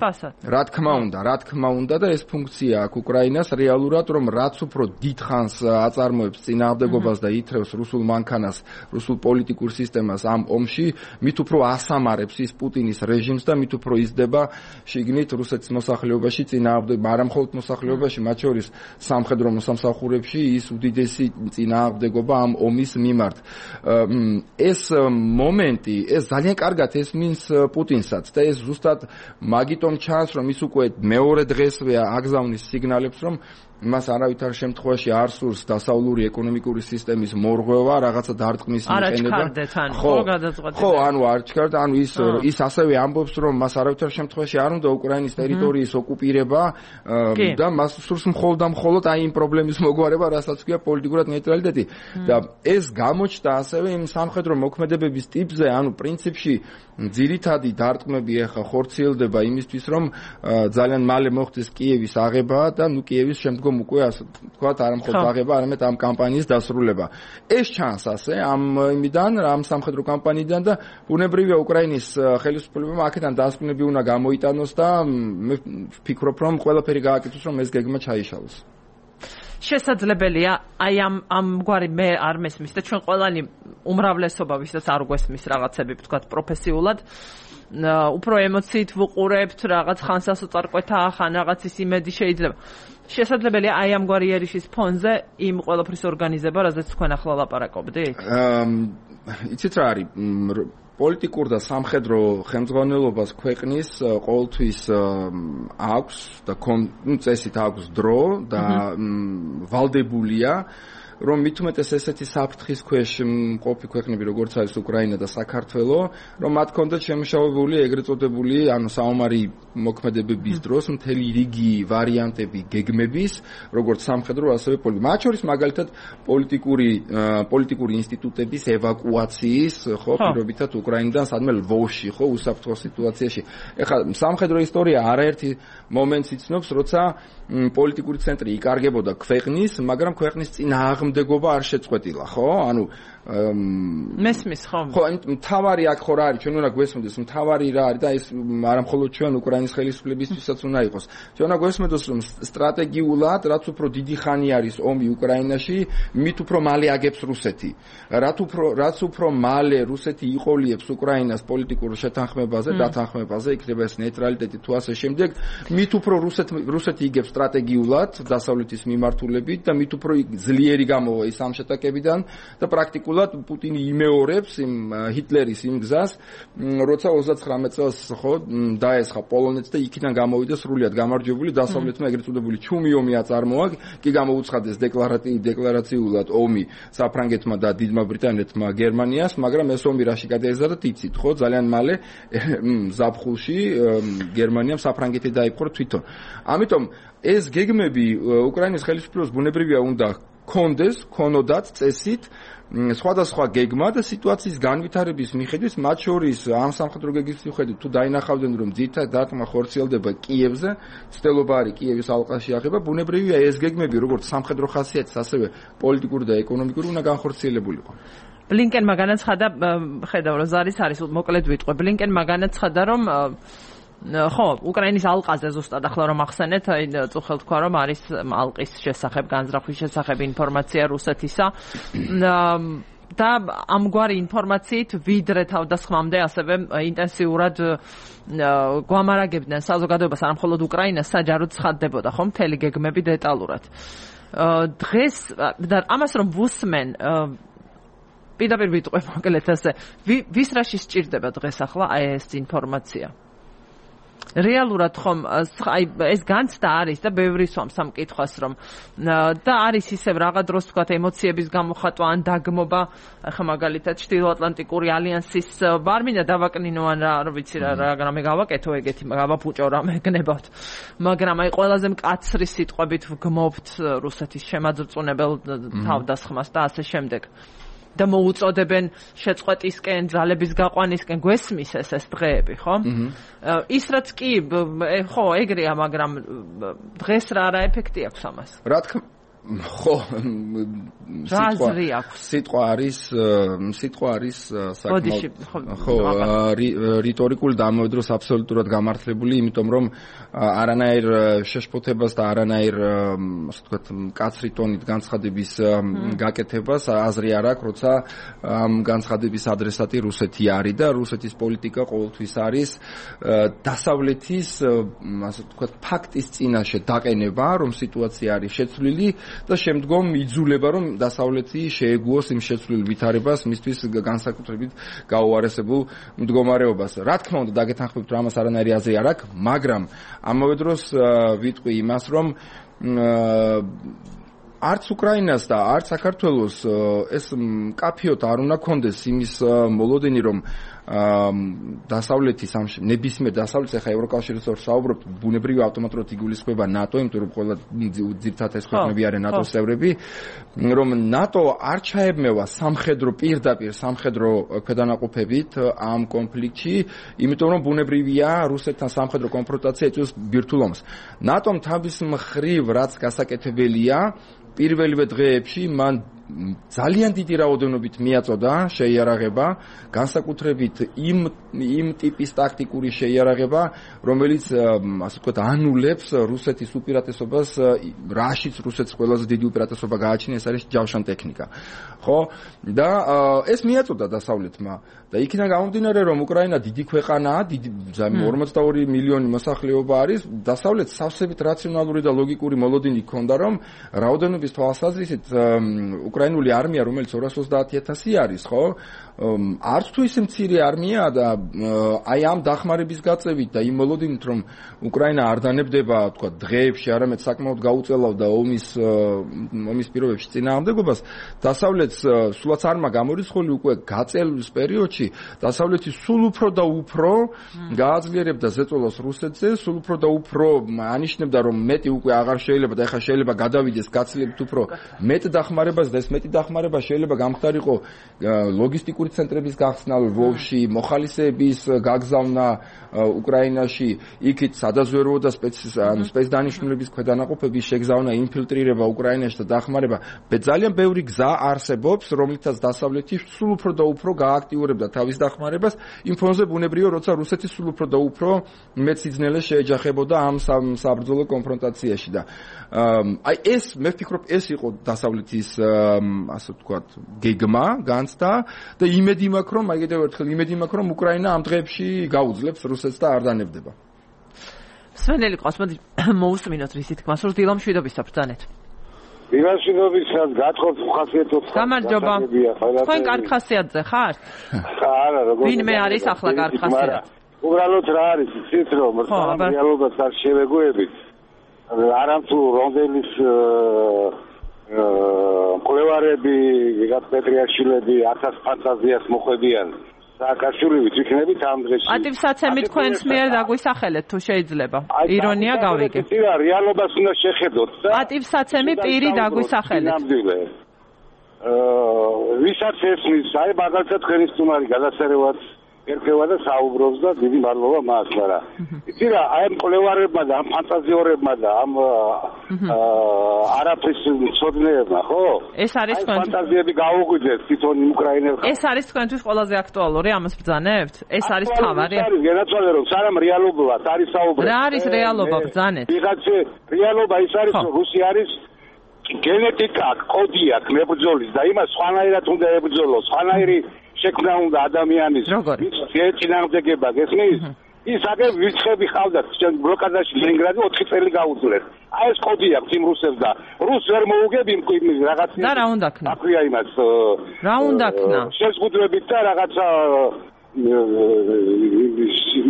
რა თქმა უნდა, რა თქმა უნდა და ეს ფუნქცია აქვს უკრაინას რეალურად, რომ რაც უფრო დიდ ხანს აწარმოებს წინააღმდეგობას და ითრევს რუსულ მანქანას, რუსულ პოლიტიკურ სისტემას ამ ომში, მით უფრო ასამარებს ის პუტინის რეჟიმს და მით უფრო იზრდება შიგნით რუსეთის მოსახლეობაში წინააღმდეგობა, არა მხოლოდ მოსახლეობაში, მათ შორის სამხედრო მოსამსახურებში ის უდიდესი წინააღმდეგობა ამ ომის მიმართ. ეს მომენტი, ეს ძალიან კარგად ესმის პუტინსაც და ეს ზუსტად მაგიტომ ჩანს, რომ ის უკვე მეორე დღესვე აგზავნის სიგნალებს, რომ მას არავითარ შემთხვევაში არ სურს დასავლური ეკონომიკური სისტემის მორღვევა, რაღაცა დარტყმის მიყენება. ხო, გადაწყვეტილება. ხო, ანუ არ ჩქარდა, ანუ ის ის ასევე ამბობს, რომ მას არავითარ შემთხვევაში არ უნდა უკრაინის ტერიტორიის ოკუპირება და მას სურს მხოლოდ და მხოლოდ აი იმ პრობლემის მოგვარება, რასაც ქვია პოლიტიკურად ნეიტრალიტეტი. და ეს გამოჩნდა ასევე იმ სამხედრო მოქმედებების ტიპზე, ანუ პრინციპში ძირითადი დარტყმები ახლა ხორციელდება იმისთვის, რომ ძალიან მალე მოხდეს კიევის აღება და ნუ კიევის შემდგომ უკვე ასე ვთქვათ, არა მხოლოდ აღება, არამედ ამ კამპანიის დასრულება. ეს ჩანს ასე ამ იმიდან, ამ სამხედრო კამპანიიდან და ბუნებრივია უკრაინის ხელისუფლებამ აქედან დასკვნები უნდა გამოიტანოს და მე ვფიქრობ, რომ ყველაფერი გააკეთოს, რომ ეს გეგმა ჩაიშალოს. შესაძლებელია აი ამ ამგვარი მე არ მესმის და ჩვენ ყველანი უმრავლესობა ვისაც არ გვესმის რაღაცები თქვა პროფესიულად უფრო ემოციით ვუყურებთ რაღაც ხანს ასოწარკვეთა ხან რაღაცის იმედი შეიძლება შესაძლებელია აი ამგვარი ერიშის ფონზე იმ ყველაფრის ორგანიზება რაზეც თქვენ ახლა ლაპარაკობდით იცით რა არის პოლიტიკურ და სამხედრო ხელმძღვანელობას ქვეყნის ყოველთვის აქვს და წესით აქვს დრო და ვალდებულია რომ მით უმეტეს ესეთი საფრთხის ქვეშ მყოფი ქვეყნები როგორც არის უკრაინა და საქართველო რომ მათ კონდეთ შემუშავებული ეგრეთ წოდებული ანუ საომარი მოქმედებების დროს მთელი რიგი ვარიანტები გეგმების როგორც სამხედრო ასევე პოლიტიკური მათ შორის მაგალითად პოლიტიკური პოლიტიკური ინსტიტუტების ევაკუაციის ხო პირობითად უკრაინიდან სადმე ლვოვში ხო უსაფრთხო სიტუაციაში ეხლა სამხედრო ისტორია არაერთი მომენტს იცნობს როცა პოლიტიკური ცენტრი იკარგებოდა ქვეყნის მაგრამ ქვეყნის წინააღმდეგობა არ შეწყვეტილა ხო ანუ მესმის ხომ ხო მთავარი აქ ხო რა არის ჩვენ უნდა გვესმოდეს მთავარი რა არის და ეს არა მხოლოდ ჩვენ უკრაინის ხელისუფლებისთვისაც უნდა იყოს ჩვენ უნდა გვესმოდოს რომ სტრატეგიულად რაც უფრო დიდი ხანი არის ომი უკრაინაში მით უფრო მალე აგებს რუსეთი რაც უფრო რაც უფრო მალე რუსეთი იყოლიებს უკრაინას პოლიტიკურ შეთანხმებაზე დათანხმებაზე იქნება ეს ნეიტრალიტეტი თუ ასე შემდეგ მით უფრო რუსეთ რუსეთი იგებს სტრატეგიულად დასავლეთის მიმართულებით და მით უფრო ძლიერი გამოვა ის ამ შეტაკებიდან და პრაქტიკულად პუტინი იმეორებს იმ ჰიტლერის იმ გზას, როცა ოცდაცხრამეტ წელს ხო დაესხა პოლონეთს და იქიდან გამოვიდა სრულიად გამარჯვებული დასავლეთმა ეგრეთ წოდებული ჩუმი ომი აწარმოა, კი გამოუცხადეს დეკლარატიულ დეკლარაციულად ომი საფრანგეთმა და დიდმა ბრიტანეთმა გერმანიას, მაგრამ ეს ომი რაში გადაეზარდა იცით, ხო, ძალიან მალე ზაფხულში გერმანიამ საფრანგეთი დაიპყრო თვითონ. ამიტომ ეს გეგმები უკრაინის ხელისუფლებას ბუნებრივია უნდა კონდეს, კონოდათ წესით სხვადასხვა გეგმა და სიტუაციის განვითარების მიხედვით მათ შორის ამ სამხედრო გეგმის მიხედვით თუ დაინახავდნენ რომ ძირითადად დარტყმა ხორციელდება კიევზე, ცდილობა არის კიევის ალყაში აღება, ბუნებრივია ეს გეგმები როგორც სამხედრო ხასიათის, ასევე პოლიტიკური და ეკონომიკური უნდა განხორციელებულიყო. ბლინკენმა განაცხადა, ხედავ რომ ზარის არის მოკლედ ვიტყვე, ბლინკენმა განაცხადა რომ ხო, უკრაინის ალყაზე ზუსტად ახლა რომ ახსენეთ, აი წუხელ თქვა რომ არის ალყის შესახებ, განზრახვის შესახებ ინფორმაცია რუსეთისა. და ამგვარი ინფორმაციით ვიდრე თავდასხმამდე ასევე ინტენსიურად გვამარაგებდნენ საზოგადოებას არა მხოლოდ უკრაინას, საჯაროდ ცხადდებოდა ხო მთელი გეგმები დეტალურად. დღეს და ამას რომ ვუსმენ პირდაპირ ვიტყვე მოკლედ ასე, ვის რაში სჭირდება დღეს ახლა აი ეს ინფორმაცია? რეალურად ხომ აი ეს განცდა არის და ბევრი სვამს ამ კითხვას რომ და არის ისევ რაღა დროს თქვა ემოციების გამოხატვა ან დაგმობა ახლა მაგალითად ჩრდილოატლანტიკური ალიანსის არ მინდა დავაკნინო ან რა არ ვიცი რა რამე გავაკეთო ეგეთი გავაფუჭო რამე გნებავთ მაგრამ აი ყველაზე მკაცრი სიტყვებით ვგმობთ რუსეთის შემაძრწუნებელ თავდასხმას და ასე შემდეგ და მოუწოდებენ შეწყვეტისკენ, ძალების გაყვანისკენ, გვესმის ეს ეს დღეები, ხო? ის რაც კი, ხო, ეგრეა, მაგრამ დღეს რა რა ეფექტი აქვს ამას? რა თქმა ხო, სიტყვა სიტყვა არის სიტყვა არის საკმაოდ ხო რიტორიკული და ამავე დროს აბსოლუტურად გამართლებული, იმიტომ რომ არანაირ შეშფოთებას და არანაირ ასე ვთქვათ მკაცრი ტონით განცხადების გაკეთებას აზრი არ აქვს, როცა ამ განცხადების ადრესატი რუსეთი არის და რუსეთის პოლიტიკა ყოველთვის არის დასავლეთის ასე ვთქვათ ფაქტის წინაშე დაყენება, რომ სიტუაცია არის შეცვლილი და შემდგომ იძულება რომ დასავლეთი შეეგუოს იმ შეცვლილ ვითარებას მისთვის განსაკუთრებით გაუარესებულ მდგომარეობას. რა თქმა უნდა დაგეთანხმებთ რომ ამას არანაირი აზრი არ აქვს, მაგრამ ამავე დროს ვიტყვი იმას რომ არც უკრაინას და არც საქართველოს ეს მკაფიოდ არ უნდა კონდეს იმის მოლოდინი რომ დასავლეთის ამ ნებისმიერ დასავლეთის ახლა ევროკავშირის ორ საუბრობთ ბუნებრივი ავტომატურად იგულისხმება ნატო, იმიტომ რომ ყველა ძირითადად ეს ქვეყნები არიან ნატოს წევრები, რომ ნატო არ ჩაებმევა სამხედრო პირდაპირ სამხედრო ქვედანაყოფებით ამ კონფლიქტში, იმიტომ რომ ბუნებრივია რუსეთთან სამხედრო კონფრონტაცია იწვევს ბირთვულ ომს. ნატომ თავის მხრივ რაც გასაკეთებელია პირველივე დღეებში მან ძალიან დიდი რაოდენობით მიაწოდა შეიარაღება, განსაკუთრებით იმ იმ ტიპის ტაქტიკური შეიარაღება, რომელიც ასე ვთქვათ, ანულებს რუსეთის უპირატესობას, რაშიც რუსეთს ყველაზე დიდი უპირატესობა გააჩნია, ეს არის ჯავშან ტექნიკა. ხო? და ეს მიაწოდა დასავლეთმა და იქიდან გამომდინარე, რომ უკრაინა დიდი ქვეყანაა, დიდი ორმოცდაორი მილიონი მოსახლეობა არის, დასავლეთს სავსებით რაციონალური და ლოგიკური მოლოდინი ჰქონდა, რომ რაოდენობის თვალსაზრისით უკრაინული არმია, რომელიც ორას ოცდაათი ათასი არის, ხო? არც თუ ისე მცირე არმიაა და აი ამ დახმარების გაწევით და იმ მოლოდინით, რომ უკრაინა არ დანებდება, თქვა, დღეებში, არამედ საკმაოდ გაუწელავდა ომის ომის პირობებში წინააღმდეგობას, დასავლეთს სულაც არმა გამორიცხული უკვე გაწევის პერიოდში დასავლეთი სულ უფრო და უფრო გააძლიერებდა ზეწოლას რუსეთზე, სულ უფრო და უფრო ანიშნებდა, რომ მეტი უკვე აღარ შეიძლება და ეხლა შეიძლება გადავიდეს გაცილებით უფრო მეტ დახმარებას და ეს მეტი დახმარება შეიძლება გამხდარიყო ლოგისტიკური ცენტრების გახსნა ლვოვში, მოხალისეების გაგზავნა უკრაინაში, იქით სადაზვერვო და სპეცდანიშნულების ქვედანაყოფების შეგზავნა, ინფილტრირება უკრაინაში და დახმარება. ძალიან ბევრი გზა არსებობს, რომლითაც დასავლეთი სულ უფრო და უფრო გააქტიურებდა თავის დახმარებას იმ ფონზე, ბუნებრივია, როცა რუსეთი სულ უფრო და უფრო მეც სიძნელეს შეეჯახებოდა ამ საბრძოლო კონფრონტაციაში და აი ეს მე ვფიქრობ ეს იყო დასავლეთის ასე ვთქვათ გეგმა, განცდა და იმედი მაქვს, რომ აი კიდევ ერთხელ იმედი მაქვს, რომ უკრაინა ამ დღეებში გაუძლებს რუსეთს და არ დანებდება. სვენელი ყავს, მოდი მოусმინოთ რისი თქმა, სულ დილამ შვიდობის საბრძანეთ. დილაშვილობისაც გათხოვთ ხასიათობს. გამარჯობა. თქვენ კარგ ხასიათზე ხართ? არა, როგორ. ვინმე არის ახლა კარგ ხასიათზე? უბრალოდ რა არის, იცით რომ რეალობას არ შევეგუებით. არამთუ რონდელის მკვლევარები, ვიღაც პეტრიაშვილები ათას ფანტაზიას მოხვედიან. სააკაშვილი ვიქნებით ამ დღეში. პატივსაცემი თქვენს მიერ დაგვისახელეთ თუ შეიძლება. ირონია გავიგე. ირა რეალობას უნდა შეხედოთ და პატივსაცემი პირი დაგვისახელეთ. ნამდვილად. აა ვისაც ესმის, აი მაგალითად თქვენი სტუმარი გადასარევად ერქვა და საუბრობს და დიდი მადლობა მას, მაგრამ იცი რა, აი ამ მკვლევარებმა და ამ ფანტაზიორებმა და ამ არაფრის მცოდნეებმა, ხო? ეს არის თქვენ ფანტაზიები გაუგვიძეთ თვითონ უკრაინელს. ეს არის თქვენთვის ყველაზე აქტუალური ამას ბრძანებთ? ეს არის თავარი? არის განაცვალე რომ სანამ რეალობად არის საუბარი. რა არის რეალობა ბრძანეთ? ვიღაცა რეალობა ის არის რომ რუსი არის გენეტიკა, კოდი აქვს მებრძოლის და იმას სხვანაირად უნდა ებრძოლოს, სხვანაირი შექმნა უნდა ადამიანის წინააღმდეგება გესმის? ის აგერ ვიცხები ხავდათ ბლოკადაში ლენინგრადი ოთხი წელი გაუძლეს. აი ეს კოდი აქვს იმ რუსებს და რუს ვერ მოუგებ იმ რაღაც და რა უნდა ქნა? აქვია იმას. რა უნდა ქნა? შეზღუდვებით და რაღაცა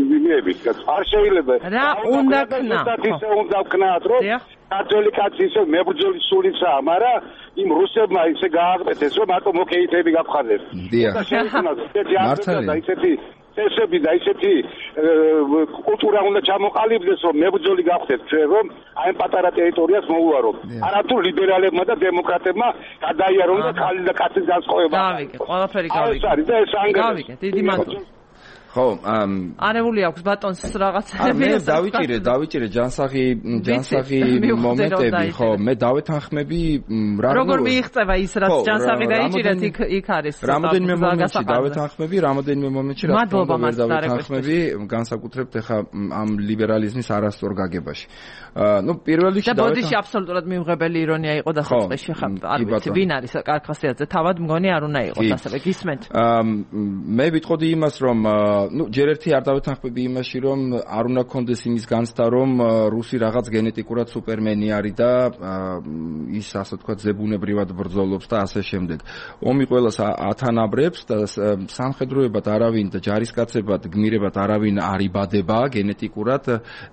იმებით არ შეიძლება. რა უნდა ქნა? ისე უნდა ვქნათ რომ ქართველი კაცი ისე მებრძოლის სულიცაა, მაგრამ იმ რუსებმა ისე გააღწეთეს რომ მარტო მოკეითები გაგხარდეს. დიახ. მართალია და ისეთი წესები და ისეთი კულტურა უნდა ჩამოყალიბდეს რომ მებრძოლი გახდეთ ჩვენ რომ აი ამ პატარა ტერიტორიას მოუვაროთ. არათუ ლიბერალებმა და დემოკრატებმა გადაიარონ და ხალი და კაცის განსხვავება. გავიგე, ყველაფერი გავიგე. ეს არის და ეს ანგარიში. გავიგე, დიდი მადლობა. ხო, არეული აქვს ბატონს რაღაცები. მე დავიჭირე, დავიჭირე ჯანსაღი, ჯანსაღი მომენტები, ხო, მე დავეთანხმები რა როგორ მიიღწევა ის რაც ჯანსაღი დაიჭირეთ იქ იქ არის. რამოდენიმე მომენტში დავეთანხმები, რამოდენიმე მომენტში რა თქმა უნდა დავეთანხმები, განსაკუთრებით ახლა ამ ლიბერალიზმის არასწორ გაგებაში. ნუ პირველ რიგში და ბოდიში აბსოლუტურად მიუღებელი ირონია იყო დასაწყისში, ხა არ ვიცი ვინ არის კარგ ხასიათზე, თავად მგონი არ უნდა იყოს ასევე გისმენთ. მე ვიტყოდი იმას რომ ну, ჯერ ერთი არ დავეთანხმები იმაში, რომ არ უნდა კონდეს იმის განცდა, რომ რუსი რაღაც გენეტიკურად სუპერმენი არის და ის ასე თქვა ზებუნებრივად ბრძოლობს და ასე შემდეგ. ომი ყველას ათანაბრებს და სამხედროებად არავინ და ჯარისკაცებად გმირებად არავინ არ იბადება გენეტიკურად,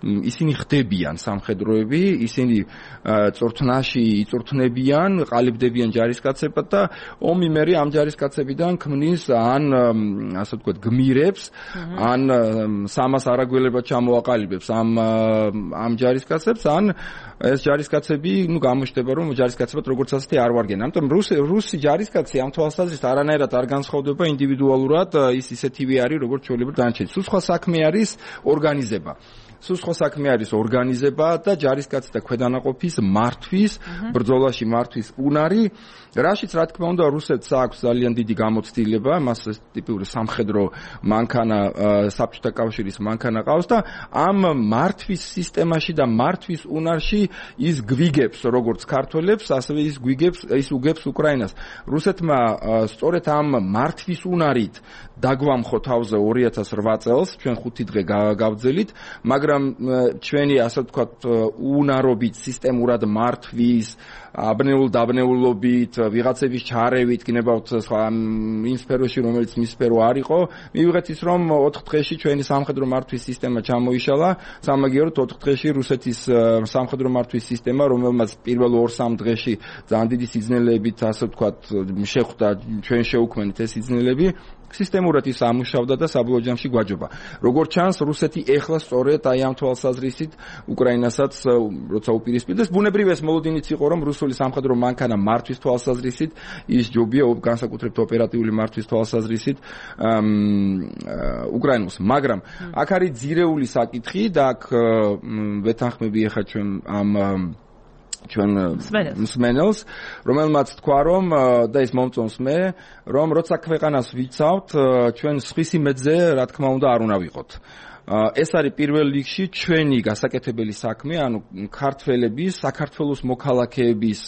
ისინი ხდებიან სამხედროები, ისინი წორთნაში იწურთნებიან, ყალიბდებიან ჯარისკაცებად და ომი მერე ამ ჯარისკაცებიდან ქმნის ან ასე თქვა გმირებს ან სამას არაგველებად ჩამოაყალიბებს ამ ამ ჯარისკაცებს ან ეს ჯარისკაცები ნუ გამოჩნდება რომ ჯარისკაცებად როგორც ასეთი არ ვარგენ. ამიტომ რუსი რუსი ჯარისკაცი ამ თვალსაზრისით არანაირად არ განსხვავდება ინდივიდუალურად, ის ისეთივე არის როგორც ჩვეულებრივ დანარჩენი. სულ სხვა საქმე არის ორგანიზება. სულ სხვა საქმე არის ორგანიზება და ჯარისკაცი და ქვედანაყოფის მართვის, ბრძოლაში მართვის უნარი, რაშიც რა თქმა უნდა რუსეთს აქვს ძალიან დიდი გამოცდილება, მას ტიპიური სამხედრო მანქანა საბჭოთა კავშირის მანქანა ყავს და ამ მართვის სისტემაში და მართვის უნარში ის გვიგებს როგორც ქართველებს, ასევე ის გვიგებს, ის უგებს უკრაინას. რუსეთმა სწორედ ამ მართვის უნარით დაგვამხო თავზე ორი ათას რვა წელს, ჩვენ ხუთი დღე გავძელით, მაგრამ ჩვენი ასე ვთქვათ უნარობით, სისტემურად მართვის, აბნეულ დაბნეულობით, ვიღაცების ჩარევით, გნებავთ სხვა იმ სფეროში, რომელიც მის სფერო არ იყო, მივიღეთ ის, რომ ოთხ დღეში ჩვენი სამხედრო მართვის სისტემა ჩამოიშალა, სამაგიეროდ ოთხ დღეში რუსეთის სამხედრო მართვის სისტემა, რომელმაც პირველ ორ-სამ დღეში ძალიან დიდი სიძნელეებით, ასე ვთქვათ, შეხვდა, ჩვენ შეუქმნით ეს სიძნელეები, სისტემურად ის ამუშავდა და საბოლოო ჯამში გვაჯობა. როგორც ჩანს, რუსეთი ეხლა სწორედ აი ამ თვალსაზრისით უკრაინასაც როცა უპირისპირდეს, ბუნებრივ ეს მოლოდინიც იყო, რომ რუსული სამხედრო მანქანა მართვის თვალსაზრისით ის ჯობია განსაკუთრებით ოპერატიული მართვის თვალსაზრისით უკრაინულს. მაგრამ აქ არის ძირეული საკითხი და აქ ვეთანხმები ახლა ჩვენ ამ ჩვენ მსმენელს, რომელმაც თქვა, რომ და ის მომწონს მე, რომ როცა ქვეყანას ვიცავთ, ჩვენ სხვის იმედზე, რა თქმა უნდა, არ უნდა ვიყოთ. ეს არის პირველ რიგში ჩვენი გასაკეთებელი საქმე, ანუ ქართველების, საქართველოს მოქალაქეების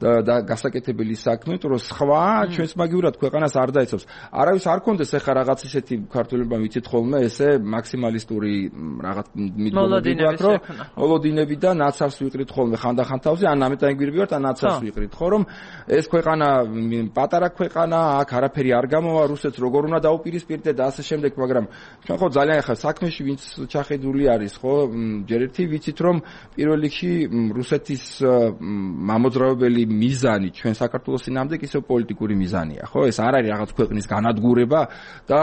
და გასაკეთებელი საქმე, თუ რომ სხვა ჩვენს მაგივრად ქვეყანას არ დაიცავს. არავის არ კონდეს ახლა რაღაც ისეთი ქართველებმა ვიცით ხოლმე ესე მაქსიმალისტური რაღაც მიტოვებები აქვს, რომ მოლოდინები და ნაცავს ვიყრით ხოლმე ხანდახან თავზე, ან ამეტანგვირები ვართ, ან ნაცავს ვიყრით, ხო, რომ ეს ქვეყანა პატარა ქვეყანა, აქ არაფერი არ გამოვა, რუსეთს როგორ უნდა დაუპირისპირდე და ასე შემდეგ, მაგრამ ჩვენ ხო ძალიან ახლა საქმეში ვინც ჩახედული არის, ხო, ჯერ ერთი ვიცით, რომ პირველ რიგში რუსეთის მამოძრავებელი მიზანი ჩვენ საქართველოს წინამდე ისე პოლიტიკური მიზანია, ხო? ეს არ არის რაღაც ქვეყნის განადგურება და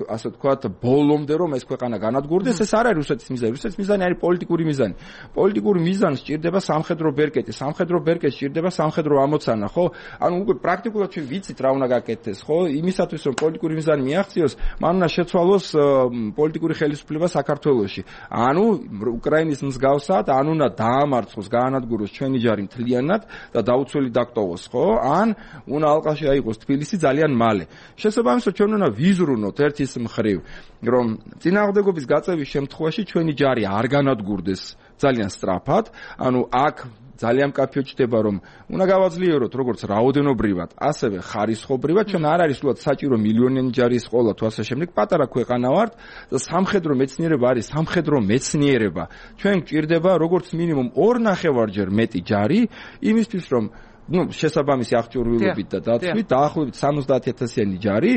ასე ვთქვათ, ბოლომდე რომ ეს ქვეყანა განადგურდეს, ეს არ არის რუსეთის მიზანი. რუსეთის მიზანი არის პოლიტიკური მიზანი. პოლიტიკური მიზანი სჭირდება სამხედრო ბერკეტი, სამხედრო ბერკეტი სჭირდება სამხედრო ამოცანა, ხო? ანუ უკვე პრაქტიკულად ჩვენ ვიცით რა უნდა გაკეთდეს, ხო? იმისათვის რომ პოლიტიკური მიზანი მიაღწიოს, მან უნდა შეცვალოს პოლიტიკური ხელისუფლება საქართველოში. ანუ უკრაინის მსგავსად, ან უნდა დაამარცხოს, გაანადგუროს ჩვენი ჯარი მთლიანად და დაუცველი დაკტოვოს, ხო? ან უნდა ალყაში აიღოს თბილისი ძალიან მალე. შესაბამისად ჩვენ უნდა ვიზრუნოთ ერთის მხრივ, რომ წინააღმდეგობის გაწევის შემთხვევაში ჩვენი ჯარი არ განადგურდეს ძალიან სწრაფად, ანუ აქ ძალიან მკაფიოდ ჩდება, რომ უნდა გავაძლიეროთ როგორც რაოდენობრივად, ასევე ხარისხობრივად, ჩვენ არ არის სულად საჭირო მილიონიანი ჯარის ყოლა თუ ასე შემდეგ, პატარა ქვეყანა ვართ და სამხედრო მეცნიერება არის სამხედრო მეცნიერება. ჩვენ გვჭირდება როგორც მინიმუმ ორ ნახევარჯერ მეტი ჯარი, იმისთვის რომ ну, შესაბამისი აღჭურვილობით და დაცვით დაახლოებით სამოცდაათი ათასიანი ჯარი,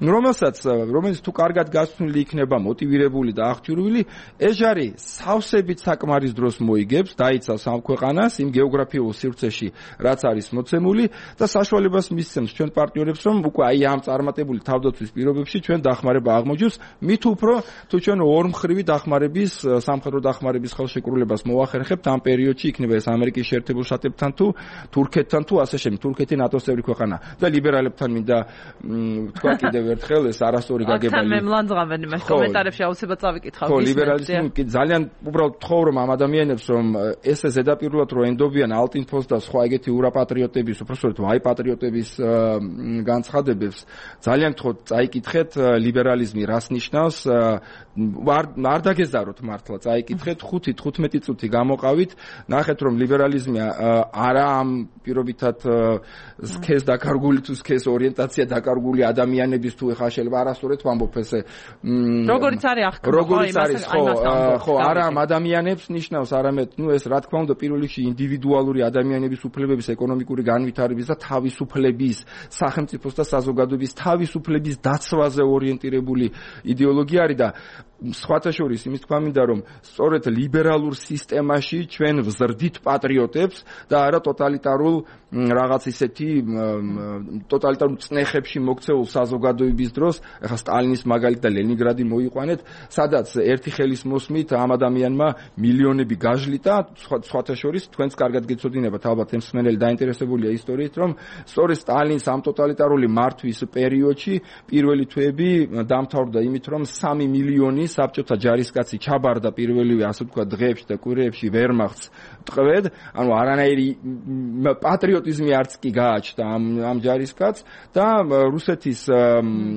რომელსაც რომელიც თუ კარგად გასწრული იქნება, მოტივირებული და აღჭურვილი, ეს ჯარი სავსებით საკმარის დროს მოიგებს, დაიცავს ამ ქვეყანას იმ გეოგრაფიულ სივრცეში, რაც არის მოცემული და საშუალებას მისცემს ჩვენ პარტნიორებს, რომ უკვე აი ამ წარმატებული თავდაცვის პირობებში ჩვენ დახმარება აღმოჩნდეს, მით უფრო თუ ჩვენ ორმხრივი დახმარების, სამხედრო დახმარების ხელშეკრულებას მოახერხებთ ამ პერიოდში, იქნება ეს ამერიკის შეერთებულ შტატებთან თუ თურქეთთან თუ ასე შემდეგ, თურქეთი ნატოს წევრი ქვეყანა და ლიბერალებთან მინდა თქვა კიდევ ერთხელ ეს არასწორი გაგებალი. აქ მე მლანძღავენ იმას კომენტარებში აუცილებლად წავიკითხავ. ხო, ლიბერალიზმი ძალიან უბრალოდ თხოვ რომ ამ ადამიანებს რომ ესე ზედაპირულად რო ენდობიან ალტინფოს და სხვა ეგეთი ურაპატრიოტების, უბრალოდ ვაი პატრიოტების განცხადებებს, ძალიან თხოვთ წაიკითხეთ ლიბერალიზმი რას ნიშნავს, არ დაგეზაროთ მართლა, წაიკითხეთ ხუთი თხუთმეტი წუთი გამოყავით, ნახეთ რომ ლიბერალიზმი არა ამ პირობითად სქეს დაკარგული თუ სქეს ორიენტაცია დაკარგული ადამიანების თუ ეხა შეიძლება არასწორად ვამბობ ესე როგორიც არის აღქმა როგორიც არის ხო ხო არა ამ ადამიანებს ნიშნავს არამედ ნუ ეს რა თქმა უნდა პირველ რიგში ინდივიდუალური ადამიანების უფლებების ეკონომიკური განვითარების და თავისუფლების სახელმწიფოს და საზოგადოების თავისუფლების დაცვაზე ორიენტირებული იდეოლოგია არის და სხვათა შორის იმის თქვა მინდა რომ სწორედ ლიბერალურ სისტემაში ჩვენ ვზრდით პატრიოტებს და არა ტოტალიტარულ რაღაც ისეთი ტოტალიტარულ წნეხებში მოქცეულ საზოგადოების დროს ახლა სტალინის მაგალითი და ლენინგრადი მოიყვანეთ სადაც ერთი ხელის მოსმით ამ ადამიანმა მილიონები გაჟლიტა სხვათა შორის თქვენც კარგად გეცოდინებათ ალბათ ეს მსმენელი დაინტერესებულია ისტორიით რომ სწორედ სტალინის ამ ტოტალიტარული მართვის პერიოდში პირველი თვეები დამთავრდა იმით რომ სამი მილიონი რამდენი საბჭოთა ჯარისკაცი ჩაბარდა პირველივე ასე ვთქვათ დღეებში და კვირეებში ვერმახტს ტყვედ, ანუ არანაირი პატრიოტიზმი არც კი გააჩნდა ამ ამ ჯარისკაცს და რუსეთის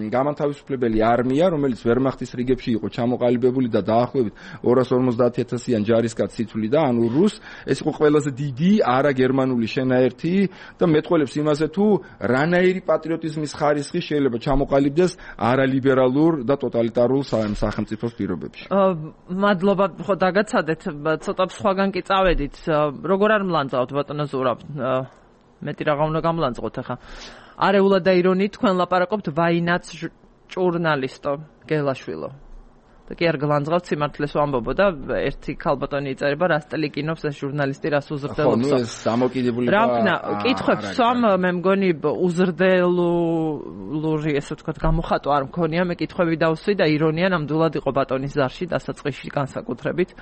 გამანთავისუფლებელი არმია, რომელიც ვერმახტის რიგებში იყო ჩამოყალიბებული და დაახლოებით ორას ორმოცდაათი ათასიან ჯარისკაცს იცვლიდა, ანუ რუს ეს იყო ყველაზე დიდი არაგერმანული შენაერთი და მეტყველებს იმაზე თუ რანაირი პატრიოტიზმის ხარისხი შეიძლება ჩამოყალიბდეს არალიბერალურ და ტოტალიტარულ სახელმწიფოს პირობებში. მადლობა, ხო დაგაცადეთ, ცოტა სხვაგან კი წავედით. როგორ არ მლანძავთ ბატონო ზურაბ? მეტი რაღა უნდა გამლანძღოთ ახლა. არეულად და ირონიით თქვენ ლაპარაკობთ ვაინაც ჟურნალისტო გელაშვილო. და კი არ გლანძღავთ სიმართლეს ვამბობო და ერთი ქალბატონი იწერება რასტელიკინობს ეს ჟურნალისტი რას უზრდელობს. ხო, ნუ ეს დამოკიდებულება. რა კითხებს სამ მე მგონი უზრდელური ესე ვთქვათ გამოხატვა არ მქონია, მე კითხვები დავსვი და ირონია ნამდვილად იყო ბატონის ზარში დასაწყისში განსაკუთრებით.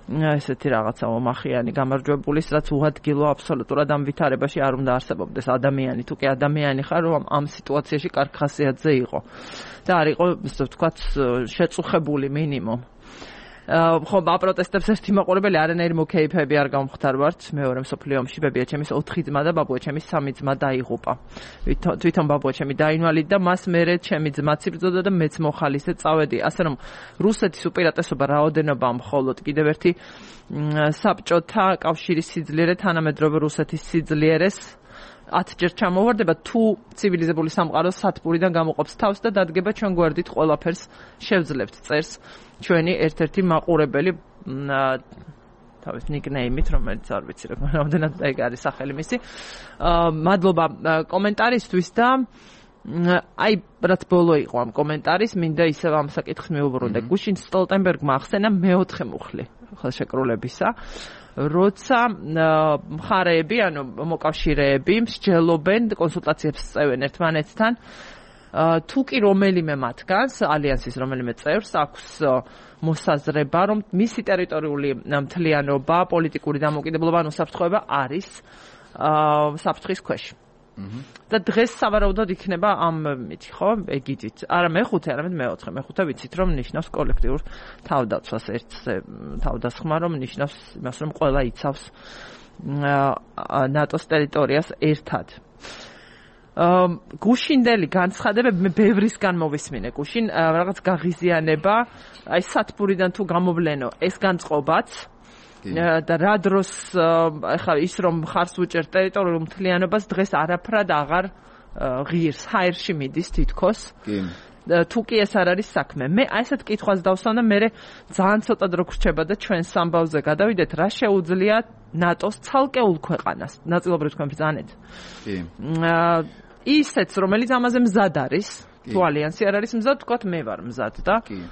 ესეთი რაღაცა ომახიანი გამარჯვებულის, რაც უადგილო აბსოლუტურად ამ ვითარებაში არ უნდა არსებობდეს ადამიანი, თუ კი ადამიანი ხარ, რომ ამ სიტუაციაში კარგ ხასიათზე იყო. და არ იყო, ასე ვთქვათ, შეწუხებული მინიმუმ. ხო, აპროტესტებს ერთი მაყურებელი არანაირი მოკეიფები არ გამختარვართ. მეორე მსოფლიო ომში ბებიაჩემის ოთხი ძმა და ბაბუაჩემის სამი ძმა დაიღუპა. თვითონ ბაბუაჩემი დაინვალიდა, მას მერე ჩემი ძმაც იბრძოდა და მეც მოხალისე წავედი. ასე რომ რუსეთის უპირატესობა რაოდენობა მხოლოდ კიდევ ერთი საბჭოთა კავშირის სიძლიერე თანამედროვე რუსეთის სიძლიერეს ათჯერ ჩამოვარდება, თუ ცივილიზებული სამყარო სათბურიდან გამოყოფს თავს და დადგება ჩვენ გვერდით ყველაფერს შევძლებთ, წერს ჩვენი ერთ-ერთი მაყურებელი თავის ნიკნეიმით, რომელიც არ ვიცი რამდენად ეგ არის სახელი მისი. მადლობა კომენტარისთვის და აი რაც ბოლო იყო ამ კომენტარის, მინდა ისევ ამ საკითხს მივუბრუნდე. გუშინ სტოლტენბერგმა ახსენა მეოთხე მუხლი ხელშეკრულებისა, როცა მხარეები, ანუ მოკავშირეები მსჯელობენ, კონსულტაციებს წევენ ერთმანეთთან, თუ კი რომელიმე მათგანს, ალიანსის რომელიმე წევრს აქვს მოსაზრება, რომ მისი ტერიტორიული მთლიანობა, პოლიტიკური დამოუკიდებლობა, ანუ საფრთხეობა არის საფრთხის ქვეშ. და დღეს სავარაუდოდ იქნება ამ მითი, ხო, ეგიდით. არა მეხუთე, არამედ მეოთხე. მეხუთე ვიცით, რომ ნიშნავს კოლექტიურ თავდაცვას, ერთზე თავდასხმა, რომ ნიშნავს იმას, რომ ყველა იცავს ნატოს ტერიტორიას ერთად. გუშინდელი განცხადებები მე ბევრისგან მოვისმინე. გუშინ რაღაც გაღიზიანება, აი სათბურიდან თუ გამოვლენო, ეს განწყობაც და რა დროს ახლა ის რომ ხარს უჭერ ტერიტორიულ მთლიანობას დღეს არაფრად აღარ ღირს, ჰაერში მიდის თითქოს. კი. თუ კი ეს არ არის საქმე. მე აი ესეთ კითხვას დავსვამ და მე ძალიან ცოტა დრო გრჩება და ჩვენ სამბავზე გადავიდეთ, რა შეუძლია ნატოს ცალკეულ ქვეყანას. ნაწილობრივ თქვენ ბრძანეთ. კი. ისეც რომელიც ამაზე მზად არის, თუ ალიანსი არ არის მზად, თქვათ მე ვარ მზად და კი.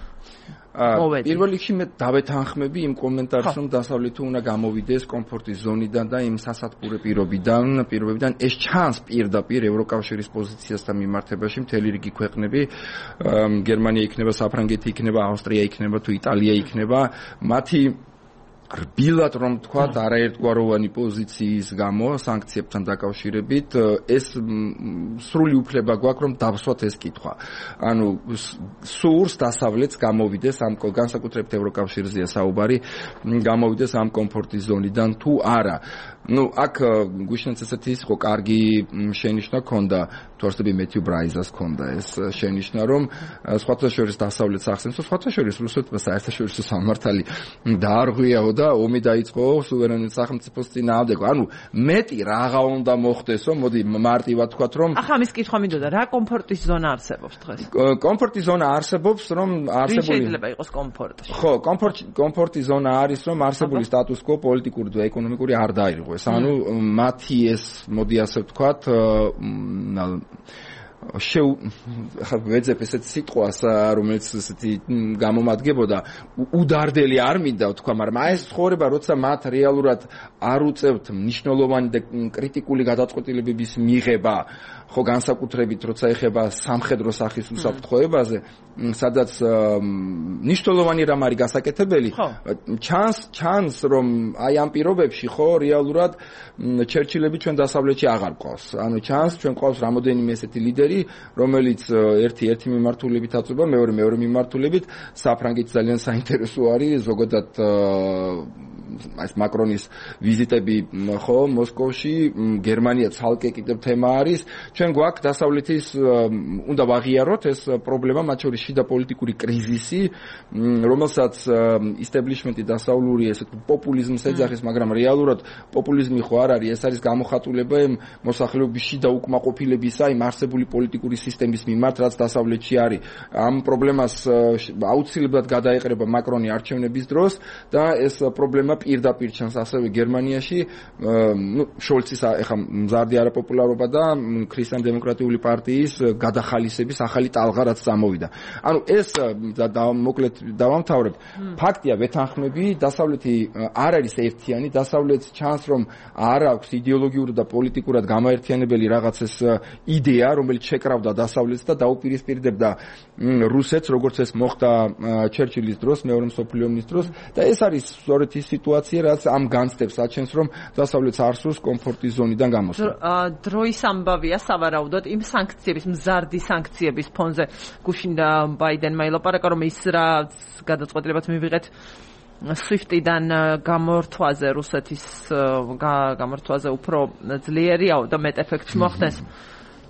პირველ რიგში მე დავეთანხმები იმ კომენტარს, რომ დასავლეთი უნდა გამოვიდეს კომფორტის ზონიდან და იმ სასათბურე პირობიდან, პირობებიდან ეს ჩანს პირდაპირ ევროკავშირის პოზიციასთან მიმართებაში მთელი რიგი ქვეყნები, გერმანია იქნება, საფრანგეთი იქნება, ავსტრია იქნება, თუ იტალია იქნება, მათი რბილად რომ თქვათ არაერთგვაროვანი პოზიციის გამო სანქციებთან დაკავშირებით ეს სრული უფლება გვაქვს რომ დავსვათ ეს კითხვა. ანუ სურს დასავლეთს გამოვიდეს ამ განსაკუთრებით ევროკავშირზეა საუბარი, გამოვიდეს ამ კომფორტის ზონიდან თუ არა. ну აქ გუშინაც ესეთი იყო კარგი შენიშვნა ქონდა, თუ არსები მეთიუ ბრაიზას ქონდა ეს შენიშვნა, რომ სხვათა შორის დასავლეთს ახსენს, სხვათა შორის რუსეთმა საერთაშორისო სამართალი დაარღვიაო და ომი დაიწყო სუვერენულ სახელმწიფოს წინააღმდეგ. ანუ მეტი რაღა უნდა მოხდესო, მოდი მარტივად ვთქვათ, რომ ახლა მის კითხვა მინდოდა, რა კომფორტის ზონა არსებობს დღეს? კომფორტის ზონა არსებობს, რომ არსებული შეიძლება იყოს კომფორტი. ხო, კომფორტი კომფორტის ზონა არის, რომ არსებული სტატუს კვო პოლიტიკური და ეკონომიკური არ დაირღვეს. ანუ მათი ეს მოდი ასე ვთქვათ შეუ ხა ვეძებ ესეთ სიტყვას, რომელიც ესეთი გამომადგებოდა, უდარდელი არ მინდა ვთქვა, მაგრამ აი ეს ცხოვრება, როცა მათ რეალურად არ უწევთ მნიშვნელოვანი და კრიტიკული გადაწყვეტილებების მიღება, ხო განსაკუთრებით როცა ეხება სამხედრო სახის უსაფრთხოებაზე, სადაც მნიშვნელოვანი რამ არის გასაკეთებელი, ჩანს ჩანს რომ აი ამ პირობებში ხო რეალურად ჩერჩილები ჩვენ დასავლეთში აღარ ყავს. ანუ ჩანს ჩვენ ყავს რამოდენიმე ესეთი ლიდერი, რომელიც ერთი ერთი მიმართულებით აწובה, მეორე მეორე მიმართულებით, საფრანგეთს ძალიან საინტერესო არის ზოგადად ეს მაკრონის ვიზიტები ხო მოსკოვში, გერმანია ცალკე კიდევ თემა არის. ჩვენ გვაქვს დასავლეთის უნდა ვაღიაროთ ეს პრობლემა, მათ შორის შიდა პოლიტიკური კრიზისი, რომელსაც establishment-ი დასავლური ესე პოპულიზმს ეძახის, მაგრამ რეალურად პოპულიზმი ხო არ არის, ეს არის გამოხატულება იმ მოსახლეობის შიდა უკმაყოფილებისა, იმ არსებული პოლიტიკური სისტემის მიმართ, რაც დასავლეთში არის. ამ პრობლემას აუცილებლად გადაეყრება მაკრონი არჩევნების დროს და ეს პრობლემა პირდაპირ ჩანს ასევე გერმანიაში, ნუ შოლცის ახლა მზარდი არაპოპულარობა და ქრისტიან-დემოკრატიული პარტიის გადახალისების ახალი ტალღა რაც წამოვიდა. ანუ ეს მოკლედ დავამთავრებ. ფაქტია, ვეთანხმები, დასავლეთი არ არის ერთიანი, დასავლეთს ჩანს რომ არ აქვს იდეოლოგიურად და პოლიტიკურად გამოერთიანებელი რაღაც ეს იდეა, რომელიც შეკრავდა დასავლეთს და დაუპირისპირდებდა რუსეთს, როგორც ეს მოხდა ჩერჩილის დროს, მეორე მსოფლიო ომის დროს და ეს არის სწორედ ის სიტუაცია, რაც ამ განცდებს აჩენს, რომ დასავლეთს არ სურს კომფორტის ზონიდან გამოსვლა. დროის ამბავია სავარაუდოდ იმ სანქციების, მზარდი სანქციების ფონზე გუშინდა ბაიდენმა ელაპარაკა, რომ ის რა გადაწყვეტილებაც მივიღეთ SWIFT-დან გამორთვაზე, რუსეთის გამორთვაზე უფრო ძლიერია და მეტ ეფექტს მოხდეს.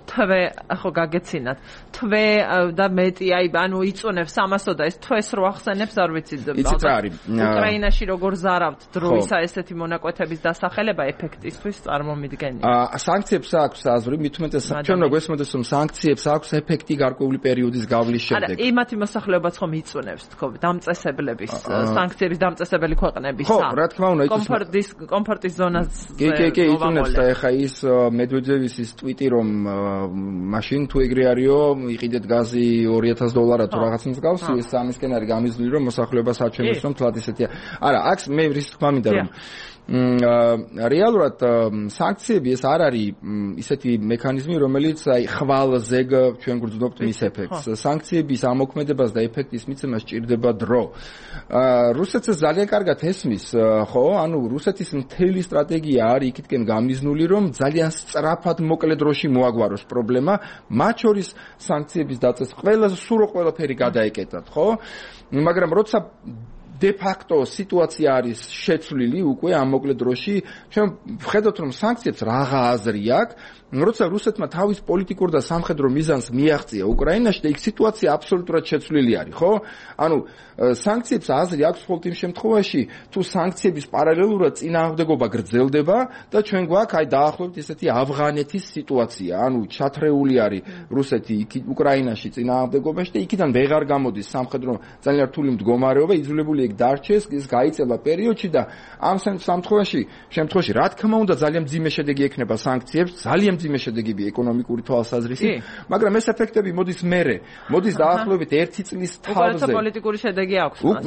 თვე ახო გაგეცინათ. თვე და მეტი აი ანუ იწონებს ამასო და ეს თვეს რო ახსენებს არ ვიცი. იცით რა არის? უკრაინაში როგორ ზარავთ დროისა ესეთი მონაკვეთების დასახელება ეფექტისთვის წარმომიდგენია. აა სანქციებს აქვს აზრი, მით უმეტეს ჩვენ რო გვესმოდეს რომ სანქციებს აქვს ეფექტი გარკვეული პერიოდის გავლის შემდეგ. არა, იმათი მოსახლეობაც ხომ იწონებს თქო, დამწესებლების სანქციების დამწესებელი ქვეყნების. ხო, რა თქმა უნდა, კომფორტის კომფორტის ზონაზე. კი, კი, კი, იწონებს და ეხა ის მედვედევის ის ტვიტი რომ მაშინ თუ ეგრე არისო, იყიდეთ გაზი ორი ათას დოლარად თუ რაღაც მსგავს, ეს ამისკენ არის გამიზნული რომ მოსახლეობას აჩვენებს რომ თლად ისეთია. არა, აქ მე რის თქმა მინდა რომ რეალურად სანქციები ეს არ არის ისეთი მექანიზმი, რომელიც აი ხვალზე ჩვენ გვგრძნობთ მის ეფექტს. სანქციების ამოქმედებას და ეფექტის მიცემას სჭირდება დრო. რუსეთს ძალიან კარგად ესმის, ხო? ანუ რუსეთის მთელი სტრატეგია არის იქითკენ გამიზნული, რომ ძალიან სწრაფად მოკლე დროში მოაგვაროს პრობლემა, მათ შორის სანქციების დაწესება. ყველა სურო ყველაფერი გადაეკეტათ, ხო? მაგრამ როცა de facto სიტუაცია არის შეცვლილი უკვე ამ მოკლე დროში, ჩვენ ვხედავთ რომ სანქციებს რაღა აზრი აქვს, როცა რუსეთმა თავის პოლიტიკურ და სამხედრო მიზანს მიაღწია უკრაინაში და იქ სიტუაცია აბსოლუტურად შეცვლილი არის, ხო? ანუ სანქციებს აზრი აქვს მხოლოდ იმ შემთხვევაში, თუ სანქციების პარალელურად წინააღმდეგობა გრძელდება და ჩვენ გვაქვს აი დაახლოებით ესეთი ავღანეთის სიტუაცია, ანუ ჩათრეული არის რუსეთი იქ უკრაინაში წინააღმდეგობაში და იქიდან ვეღარ გამოდის სამხედრო ძალიან რთული მდგომარეობა, იძულებული იქ დარჩეს, ის გაიწელა პერიოდში და ამ შემთხვევაში, შემთხვევაში რა თქმა უნდა ძალიან მძიმე შედეგი ექნება სანქციებს, ძალიან მძიმე შედეგები ეკონომიკური თვალსაზრისით, მაგრამ ეს ეფექტები მოდის მერე, მოდის დაახლოებით ერთი წლის თავზე. უკვე პოლიტიკური შედეგი აქვს მას.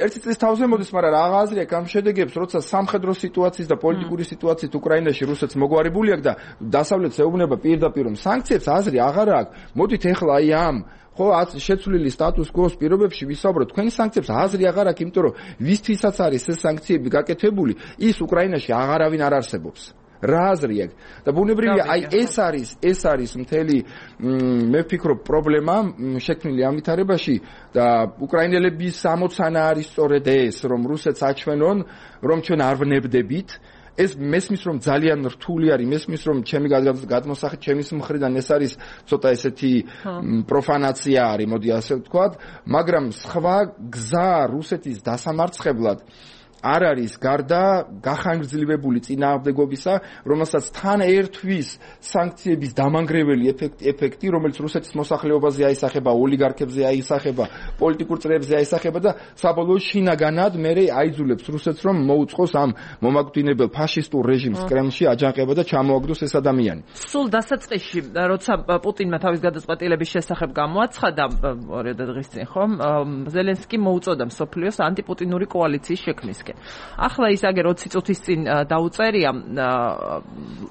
ერთი წლის თავზე მოდის, მაგრამ რა აზრი აქვს ამ შედეგებს, როცა სამხედრო სიტუაციის და პოლიტიკური სიტუაციით უკრაინაში რუსეთს მოგვარებული აქვს და დასავლეთს ეუბნება პირდაპირ რომ სანქციებს აზრი აღარ აქვს. მოდით ეხლა აი ამ ხო შეცვლილი სტატუს კოს პირობებში ვისაუბროთ, თქვენი სანქციებს აზრი აღარ აქვს, იმიტომ რომ ვისთვისაც არის ეს სანქციები გაკეთებული, ის უკრაინაში აღარავინ არ არსებობს. რა აზრი აქვს? და ბუნებრივია, აი ეს არის, ეს არის მთელი მე ვფიქრობ პრობლემა შექმნილი ამ ვითარებაში და უკრაინელების ამოცანა არის სწორედ ეს, რომ რუსეთს აჩვენონ, რომ ჩვენ არ ვნებდებით. ეს მესმის რომ ძალიან რთული არის, მესმის რომ ჩემი გადმოსახით ჩემის მხრიდან ეს არის ცოტა ესეთი პროფანაცია არის, მოდი ასე ვთქვათ, მაგრამ სხვა გზა რუსეთის დასამარცხებლად არ არის გარდა გახანგრძლივებული წინააღმდეგობისა, რომელსაც თან ერთვის სანქციების დამანგრეველი ეფექტი, ეფექტი, რომელიც რუსეთის მოსახლეობაზე აისახება, ოლიგარქებზე აისახება, პოლიტიკურ წრეებზე აისახება და საბოლოო შინაგანად მერე აიძულებს რუსეთს, რომ მოუწყოს ამ მომაკვდინებელ ფაშისტურ რეჟიმს კრემლში აჯანყება და ჩამოაგდოს ეს ადამიანი. სულ დასაწყისში, როცა პუტინმა თავის გადაწყვეტილების შესახებ გამოაცხადა ორი დღის წინ, ხო? ზელენსკი მოუწოდა მსოფლიოს ანტიპუტინური კოალიციის შექმნისკენ. ახლა ის აგერ ოცი წუთის წინ დაუწერია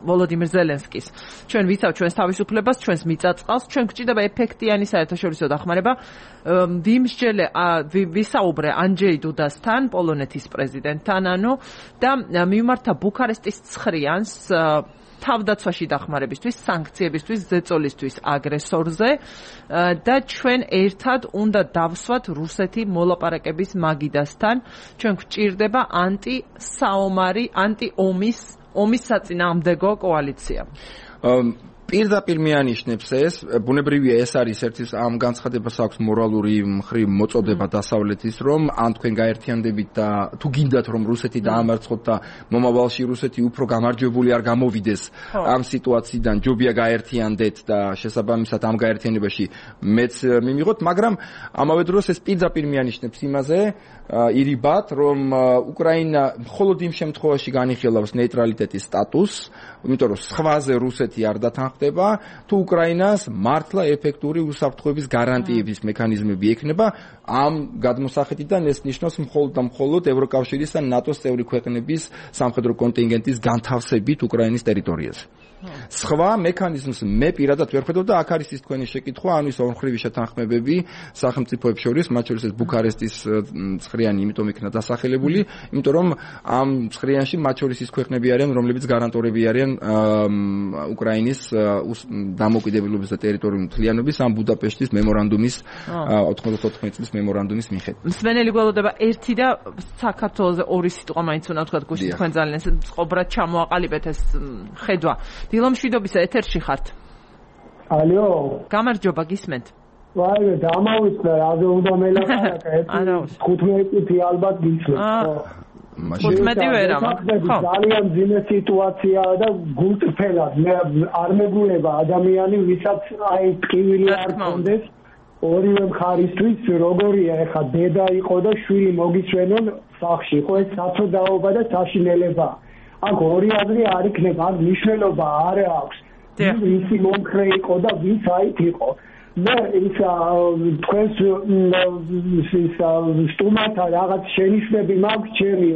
ვოლოდიმირ ზელენსკის. ჩვენ ვიცავ ჩვენს თავისუფლებას, ჩვენს მიწაწყალს, ჩვენ გვჭირდება ეფექტიანი საერთაშორისო დახმარება. ვიმსჯელე ვისაუბრე ანჯეი დუდასთან, პოლონეთის პრეზიდენტთან, ანუ და მიმართა ბუქარესტის ცხრიანს თავდაცვაში დახმარებისთვის, სანქციებისთვის, ზეწოლისთვის აგრესორზე და ჩვენ ერთად უნდა დავსვათ რუსეთი მოლაპარაკების მაგიდასთან. ჩვენ გვჭირდება ანტისაომარი, ანტიომის, ომის საწინააღმდეგო კოალიცია. პირდაპირ მეანიშნებს ეს, ბუნებრივია ეს არის ერთი ამ განცხადებას აქვს მორალური მხრივ მოწოდება დასავლეთის, რომ ან თქვენ გაერთიანდებით და თუ გინდათ რომ რუსეთი დაამარცხოთ და მომავალში რუსეთი უფრო გამარჯვებული არ გამოვიდეს ამ სიტუაციიდან, ჯობია გაერთიანდეთ და შესაბამისად ამ გაერთიანებაში მეც მიმიღოთ, მაგრამ ამავე დროს ეს პირდაპირ მეანიშნებს იმაზე ირიბად, რომ უკრაინა მხოლოდ იმ შემთხვევაში განიხილავს ნეიტრალიტეტის სტატუსს, იმიტომ რომ სხვაზე რუსეთი არ დათანხმდება, თუ უკრაინას მართლა ეფექტური უსაფრთხოების გარანტიების მექანიზმები ექნება, ამ გადმოსახედიდან ეს ნიშნავს მხოლოდ და მხოლოდ ევროკავშირის და ნატოს წევრი ქვეყნების სამხედრო კონტინგენტის განთავსებით უკრაინის ტერიტორიაზე. სხვა მექანიზმს მე პირადად ვერ ხედავ და აქ არის ის თქვენი შეკითხვა, ანუ ის ორმხრივი შეთანხმებები სახელმწიფოებს შორის, მათ შორის ეს ბუქარესტის ცხრიანი იმიტომ იქნა დასახელებული, იმიტომ რომ ამ ცხრიანში მათ შორის ის ქვეყნები არიან, რომლებიც გარანტორები არიან უკრაინის დამოუკიდებლობის და ტერიტორიული მთლიანობის ამ ბუდაპეშტის მემორანდუმის ოთხმოცდაოთხი წლის მემორანდუმის მიხედვით. მსმენელი გველოდება ერთი და საქართველოზე ორი სიტყვა მაინც უნდა ვთქვათ, გუშინ თქვენ ძალიან წყობრად ჩამოაყალიბეთ ეს ხედვა. დილო მშვიდობისა, ეთერში ხართ. ალო. გამარჯობა, გისმენთ. ვაი, დამავიწყდა, რაზე უნდა მელაპარაკა, ეს თხუთმეტი ალბათ გისმენთ. თხუთმეტი ვერა. ძალიან ძიმე სიტუაციაა და გულწრფელად მე არ მეგულება ადამიანი, ვისაც აი ტკივილი არ კონდეს ორივე მხარისთვის, როგორია ეხა დედა იყო და შვილი მოგისვენონ სახში, ხო ეს საწოდაობა და საშინელება. აქ ორი აზრი არ იქნება, აქ მნიშვნელობა არ აქვს. ვისი მომხრე იყო და ვის აით იყო. მე ის თქვენს ის სტუმართა რაღაც შენიშვნები მაქვს ჩემი,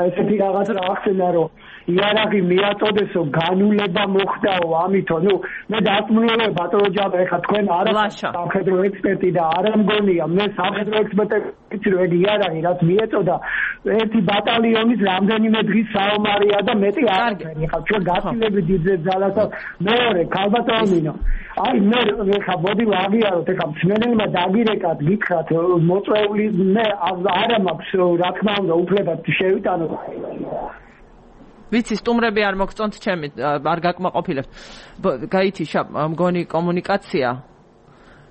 ესეთი რაღაც ახსენა, რომ იარაღი მიაწოდესო, განულება მოხდაო, ამითო, ნუ მე დაწმუნებული ბატონო ჯაბა, ეხა თქვენ არა სამხედრო ექსპერტი და არა მგონია, მე სამხედრო ექსპერტი რომ ეგ იარაღი რაც მიეწოდა, ერთი ბატალიონის რამდენიმე დღის საომარია და მეტი არაფერი. ეხა ჩვენ გაცილებით დიდ ძალასა მეორე ქალბატონინო. აი მე ეხა მოდი ვაღიაროთ, ეხა მსმენელმა დაგირეკათ, გითხრათ მოწვეული მე არა მაქვს რა თქმა უნდა უფლება შევიტანოთ. ვიცი, სტუმრები არ მოგწონთ ჩემი, არ გაკმაყოფილებთ. გაითიშა მგონი კომუნიკაცია.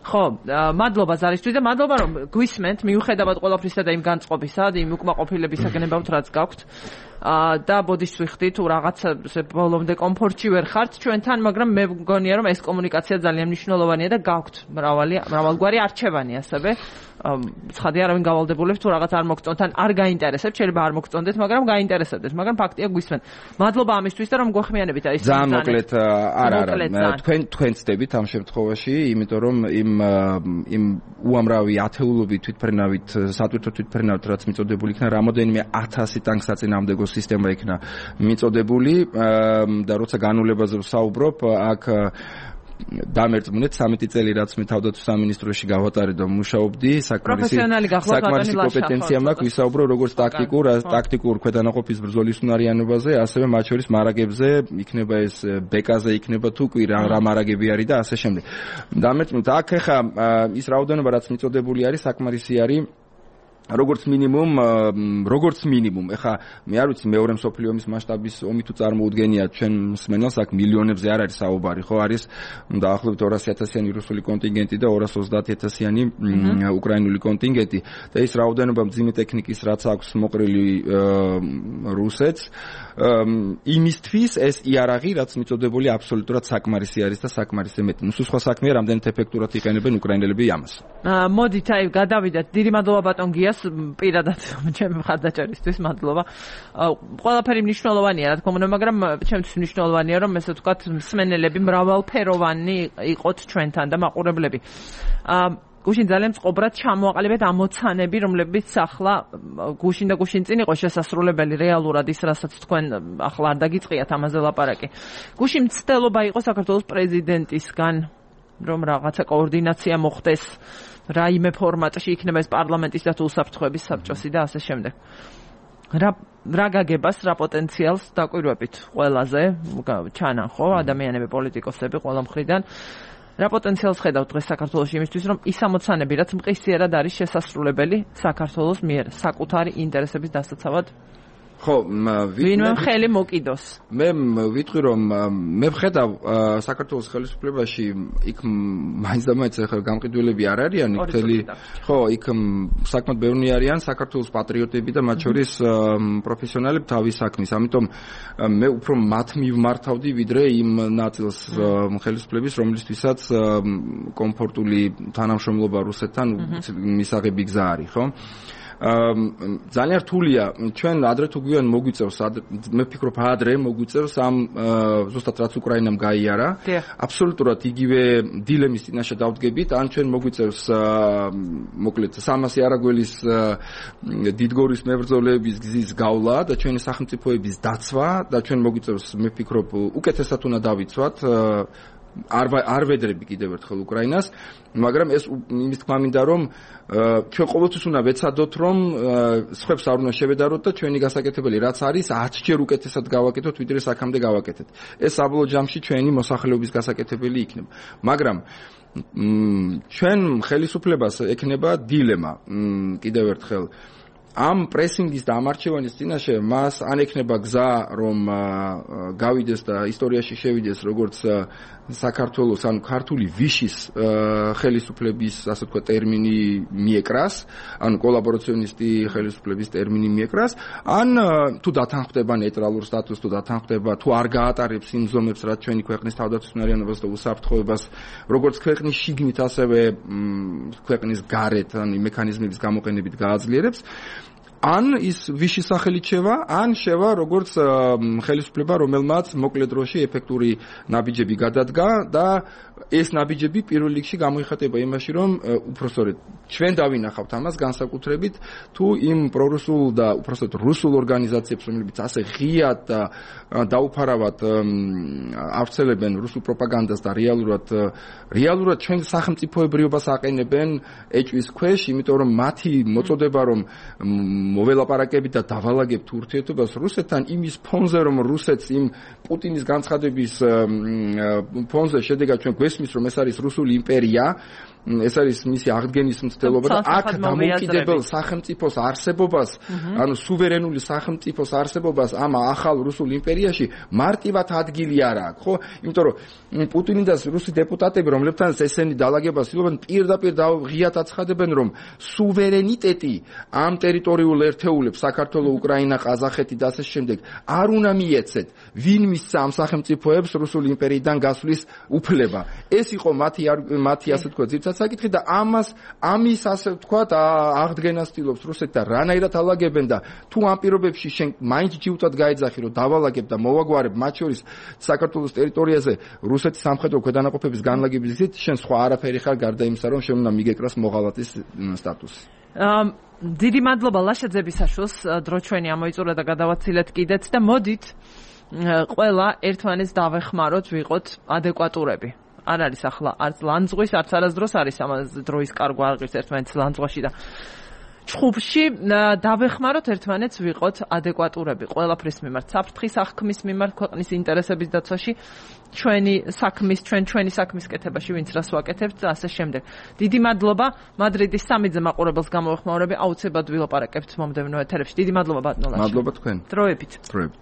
ხო, მადლობა ზარისთვის და მადლობა რომ გვისმენთ, მიუხედავად ყველაფრისა და იმ განწყობისა, იმ უკმაყოფილების გნებავთ რაც გაქვთ. და ბოდიშს ვიხდით, თუ რაღაცა ბოლომდე კომფორტში ვერ ხართ ჩვენთან, მაგრამ მე მგონია რომ ეს კომუნიკაცია ძალიან მნიშვნელოვანია და გაქვთ მრავალი მრავალგვარი არჩევანი ასევე. ცხადია, არავინ გავალდებულებს თუ რაღაც არ მოგწონთ, ან არ გაინტერესებთ, შეიძლება არ მოგწონდეთ, მაგრამ გაინტერესებდეთ, მაგრამ ფაქტია გვისმენთ. მადლობა ამისთვის და რომ გვეხმიანებით აი ძალიან მოკლედ არა არა თქვენ თქვენ ცდებით ამ შემთხვევაში, იმიტომ რომ იმ იმ უამრავი ათეულობით თვითფრენავით, სატვირთო თვითფრენავით რაც მიწოდებული იქნა, რამოდენიმე ათასი ტანკსაწინააღმდეგო სისტემა იქნა მიწოდებული და როცა განულებაზე ვსაუბრობ, აქ დამერწმუნეთ სამეტი წელი რაც მე თავდაცვის სამინისტროში გავატარე და მუშაობდი, საკმარისი საკმარისი კომპეტენცია მაქვს ვისაუბრო როგორც ტაქტიკურ, ტაქტიკურ ქვედანაყოფის ბრძოლის უნარიანობაზე, ასევე მათ შორის მარაგებზე, იქნება ეს ბეკაზე, იქნება თუ კი რა მარაგები არის და ასე შემდეგ. დამერწმუნეთ, აქ ხა ის რაოდენობა რაც მიწოდებული არის, საკმარისი არის როგორც მინიმუმ, როგორც მინიმუმ, ეხა მე არ ვიცი მეორე მსოფლიო ომის მასშტაბის ომი თუ წარმოუდგენია ჩვენ მსმენელს, აქ მილიონებზე არ არის საუბარი, ხო, არის დაახლოებით ორასი ათასიანი რუსული კონტინგენტი და ორას ოცდაათი ათასიანი უკრაინული კონტინგენტი და ის რაოდენობა მძიმე ტექნიკის რაც აქვს მოყრილი რუსეთს, იმისთვის ეს იარაღი რაც მიწოდებული აბსოლუტურად საკმარისი არის და საკმარისი მეტი. ნუ სხვა საქმეა, რამდენად ეფექტურად იყენებენ უკრაინელები ამას. მოდით აი გადავიდეთ. დიდი მადლობა ბატონ გიას, პირადად ჩემი მხარდაჭერისთვის მადლობა. ყველაფერი მნიშვნელოვანია, რა თქმა უნდა, მაგრამ ჩემთვის მნიშვნელოვანია რომ ესე ვთქვათ, მსმენელები მრავალფეროვანი იყოთ ჩვენთან და მაყურებლები. გუშინ ძალიან წყობრად ჩამოაყალიბეთ ამოცანები, რომლებიც ახლა გუშინ და გუშინ წინ იყო შესასრულებელი რეალურად ის, რასაც თქვენ ახლა არ დაგიწყიათ ამაზე ლაპარაკი. გუშინ მცდელობა იყო საქართველოს პრეზიდენტისგან, რომ რაღაცა კოორდინაცია მოხდეს, რაიმე ფორმატში იქნება ეს პარლამენტის და თუ უსაფრთხოების საბჭოსი და ასე შემდეგ. რა რა გაგებას, რა პოტენციალს დაკვირვებით ყველაზე ჩანან ხო ადამიანები, პოლიტიკოსები ყველა მხრიდან. რა პოტენციალს ხედავთ დღეს საქართველოში იმისთვის, რომ ის ამოცანები, რაც მყისიერად არის შესასრულებელი საქართველოს მიერ საკუთარი ინტერესების დასაცავად ხო, ვინმე ხელი მოკიდოს. მე ვიტყვი რომ მე ვხედავ საქართველოს ხელისუფლებაში იქ მაინც და მაინც ახლა გამყიდველები არ არიან, იქ მთელი ხო, იქ საკმაოდ ბევრი არიან საქართველოს პატრიოტები და მათ შორის პროფესიონალები თავის საქმის. ამიტომ მე უფრო მათ მივმართავდი ვიდრე იმ ნაწილს ხელისუფლების, რომლისთვისაც კომფორტული თანამშრომლობა რუსეთთან მისაღები გზა არის, ხო? ძალიან რთულია ჩვენ ადრე თუ გვიან მოგვიწევს მე ვფიქრობ ადრე მოგვიწევს ამ ზუსტად რაც უკრაინამ გაიარა აბსოლუტურად იგივე დილემის წინაშე დავდგებით ან ჩვენ მოგვიწევს მოკლედ სამასი არაგველის დიდგორის მებრძოლების გზის გავლა და ჩვენი სახელმწიფოების დაცვა და ჩვენ მოგვიწევს მე ვფიქრობ უკეთესად უნდა დავიცვათ არ არ ვედრები კიდევ ერთხელ უკრაინას, მაგრამ ეს იმის თქმა მინდა რომ ჩვენ ყოველთვის უნდა ვეცადოთ რომ სხვებს არ უნდა შევედაროთ და ჩვენი გასაკეთებელი რაც არის ათჯერ უკეთესად გავაკეთოთ ვიდრე აქამდე გავაკეთეთ. ეს საბოლოო ჯამში ჩვენი მოსახლეობის გასაკეთებელი იქნება. მაგრამ ჩვენ ხელისუფლებას ექნება დილემა კიდევ ერთხელ ამ პრესინგის და ამარჩევანის წინაშე მას ან ექნება გზა რომ გავიდეს და ისტორიაში შევიდეს როგორც საქართველოს ან ქართული ვიშის ხელისუფლების ასე თქვა ტერმინი მიეკრას ან კოლაბორაციონისტი ხელისუფლების ტერმინი მიეკრას ან თუ დათანხმდება ნეიტრალურ სტატუსს თუ დათანხმდება თუ არ გაატარებს იმ ზომებს რაც ჩვენი ქვეყნის თავდაცვითმარიანობას და უსაფრთხოებას როგორც ქვეყნის შიგნით ასევე ქვეყნის გარეთ ან მექანიზმების გამოყენებით გააძლიერებს ან ის ვიში სახელით შევა, ან შევა როგორც ხელისუფლება, რომელმაც მოკლე დროში ეფექტური ნაბიჯები გადადგა და ეს ნაბიჯები პირველ რიგში გამოიხატება იმაში, რომ უпроსტოდ ჩვენ დავინახავთ ამას განსაკუთრებით თუ იმ პრორუსულ და უпроსტოდ რუსულ ორგანიზაციებს, რომლებიც ასე ღიად და დაუფარავად ავრცელებენ რუსულ პროპაგანდას და რეალურად რეალურად ჩვენ სახელმწიფოებრიობას აყენებენ ეჭვის ქვეშ, იმიტომ რომ მათი მოწოდება რომ მოველაპარაკებით და დავალაგებთ ურთიერთობას რუსეთთან იმის ფონზე რომ რუსეთს იმ პუტინის განცხადების ფონზე შედეგად ჩვენ გვესმის რომ ეს არის რუსული იმპერია ეს არის მისი აღდგენის მცდელობა და აქ დამოუკიდებელ სახელმწიფოს არსებობას ანუ სუვერენული სახელმწიფოს არსებობას ამ ახალ რუსულ იმპერიაში მარტივად ადგილი არ აქვს ხო იმიტომ რომ პუტინი და რუსი დეპუტატები რომლებთანაც ესენი დაალაგებას ილობენ პირდაპირ ღიად აცხადებენ რომ სუვერენიტეტი ამ ტერიტორიულ ერთეულებს საქართველოს უკრაინა ყაზახეთი და ასე შემდეგ არ უნდა მიეცეთ ვინ მისცა ამ სახელმწიფოებს რუსული იმპერიიდან გასვლის უფლება ეს იყო მათი მათი ასე თქვა ძირითადად საკითხი და ამას ამის ასე ვთქვათ აღდგენას ცდილობს რუსეთი და რანაირად ალაგებენ და თუ ამ პირობებში შენ მაინც ჯიუტად გაეძახი რომ დავალაგებ და მოვაგვარებ მათ შორის საქართველოს ტერიტორიაზე რუსეთის სამხედრო ქვედანაყოფების განლაგების გზით შენ სხვა არაფერი ხარ გარდა იმისა რომ შენ უნდა მიგეკრას მოღალატის სტატუსი დიდი მადლობა ლაშაძების საშუალს დრო ჩვენი ამოიწურა და გადავაცილეთ კიდეც და მოდით ყველა ერთმანეთს დავეხმაროთ ვიყოთ ადეკვატურები არ არის ახლა არც ლანძღვის არც არასდროს არის ამ დროის კარგვა აღის ერთმანეთს ლანძღვაში და ჩხუბში დავეხმაროთ ერთმანეთს ვიყოთ ადეკვატურები ყველაფრის მიმართ საფრთხის აღქმის მიმართ ქვეყნის ინტერესების დაცვაში ჩვენი საქმის ჩვენ ჩვენი საქმის კეთებაში ვინც რას ვაკეთებთ და ასე შემდეგ დიდი მადლობა მადრიდის სამიძე მაყურებელს გამოვეხმაურები აუცილებლად ვილაპარაკებთ მომდევნო ეთერებში დიდი მადლობა ბატონო ლაშა მადლობა თქვენ დროებით დროებით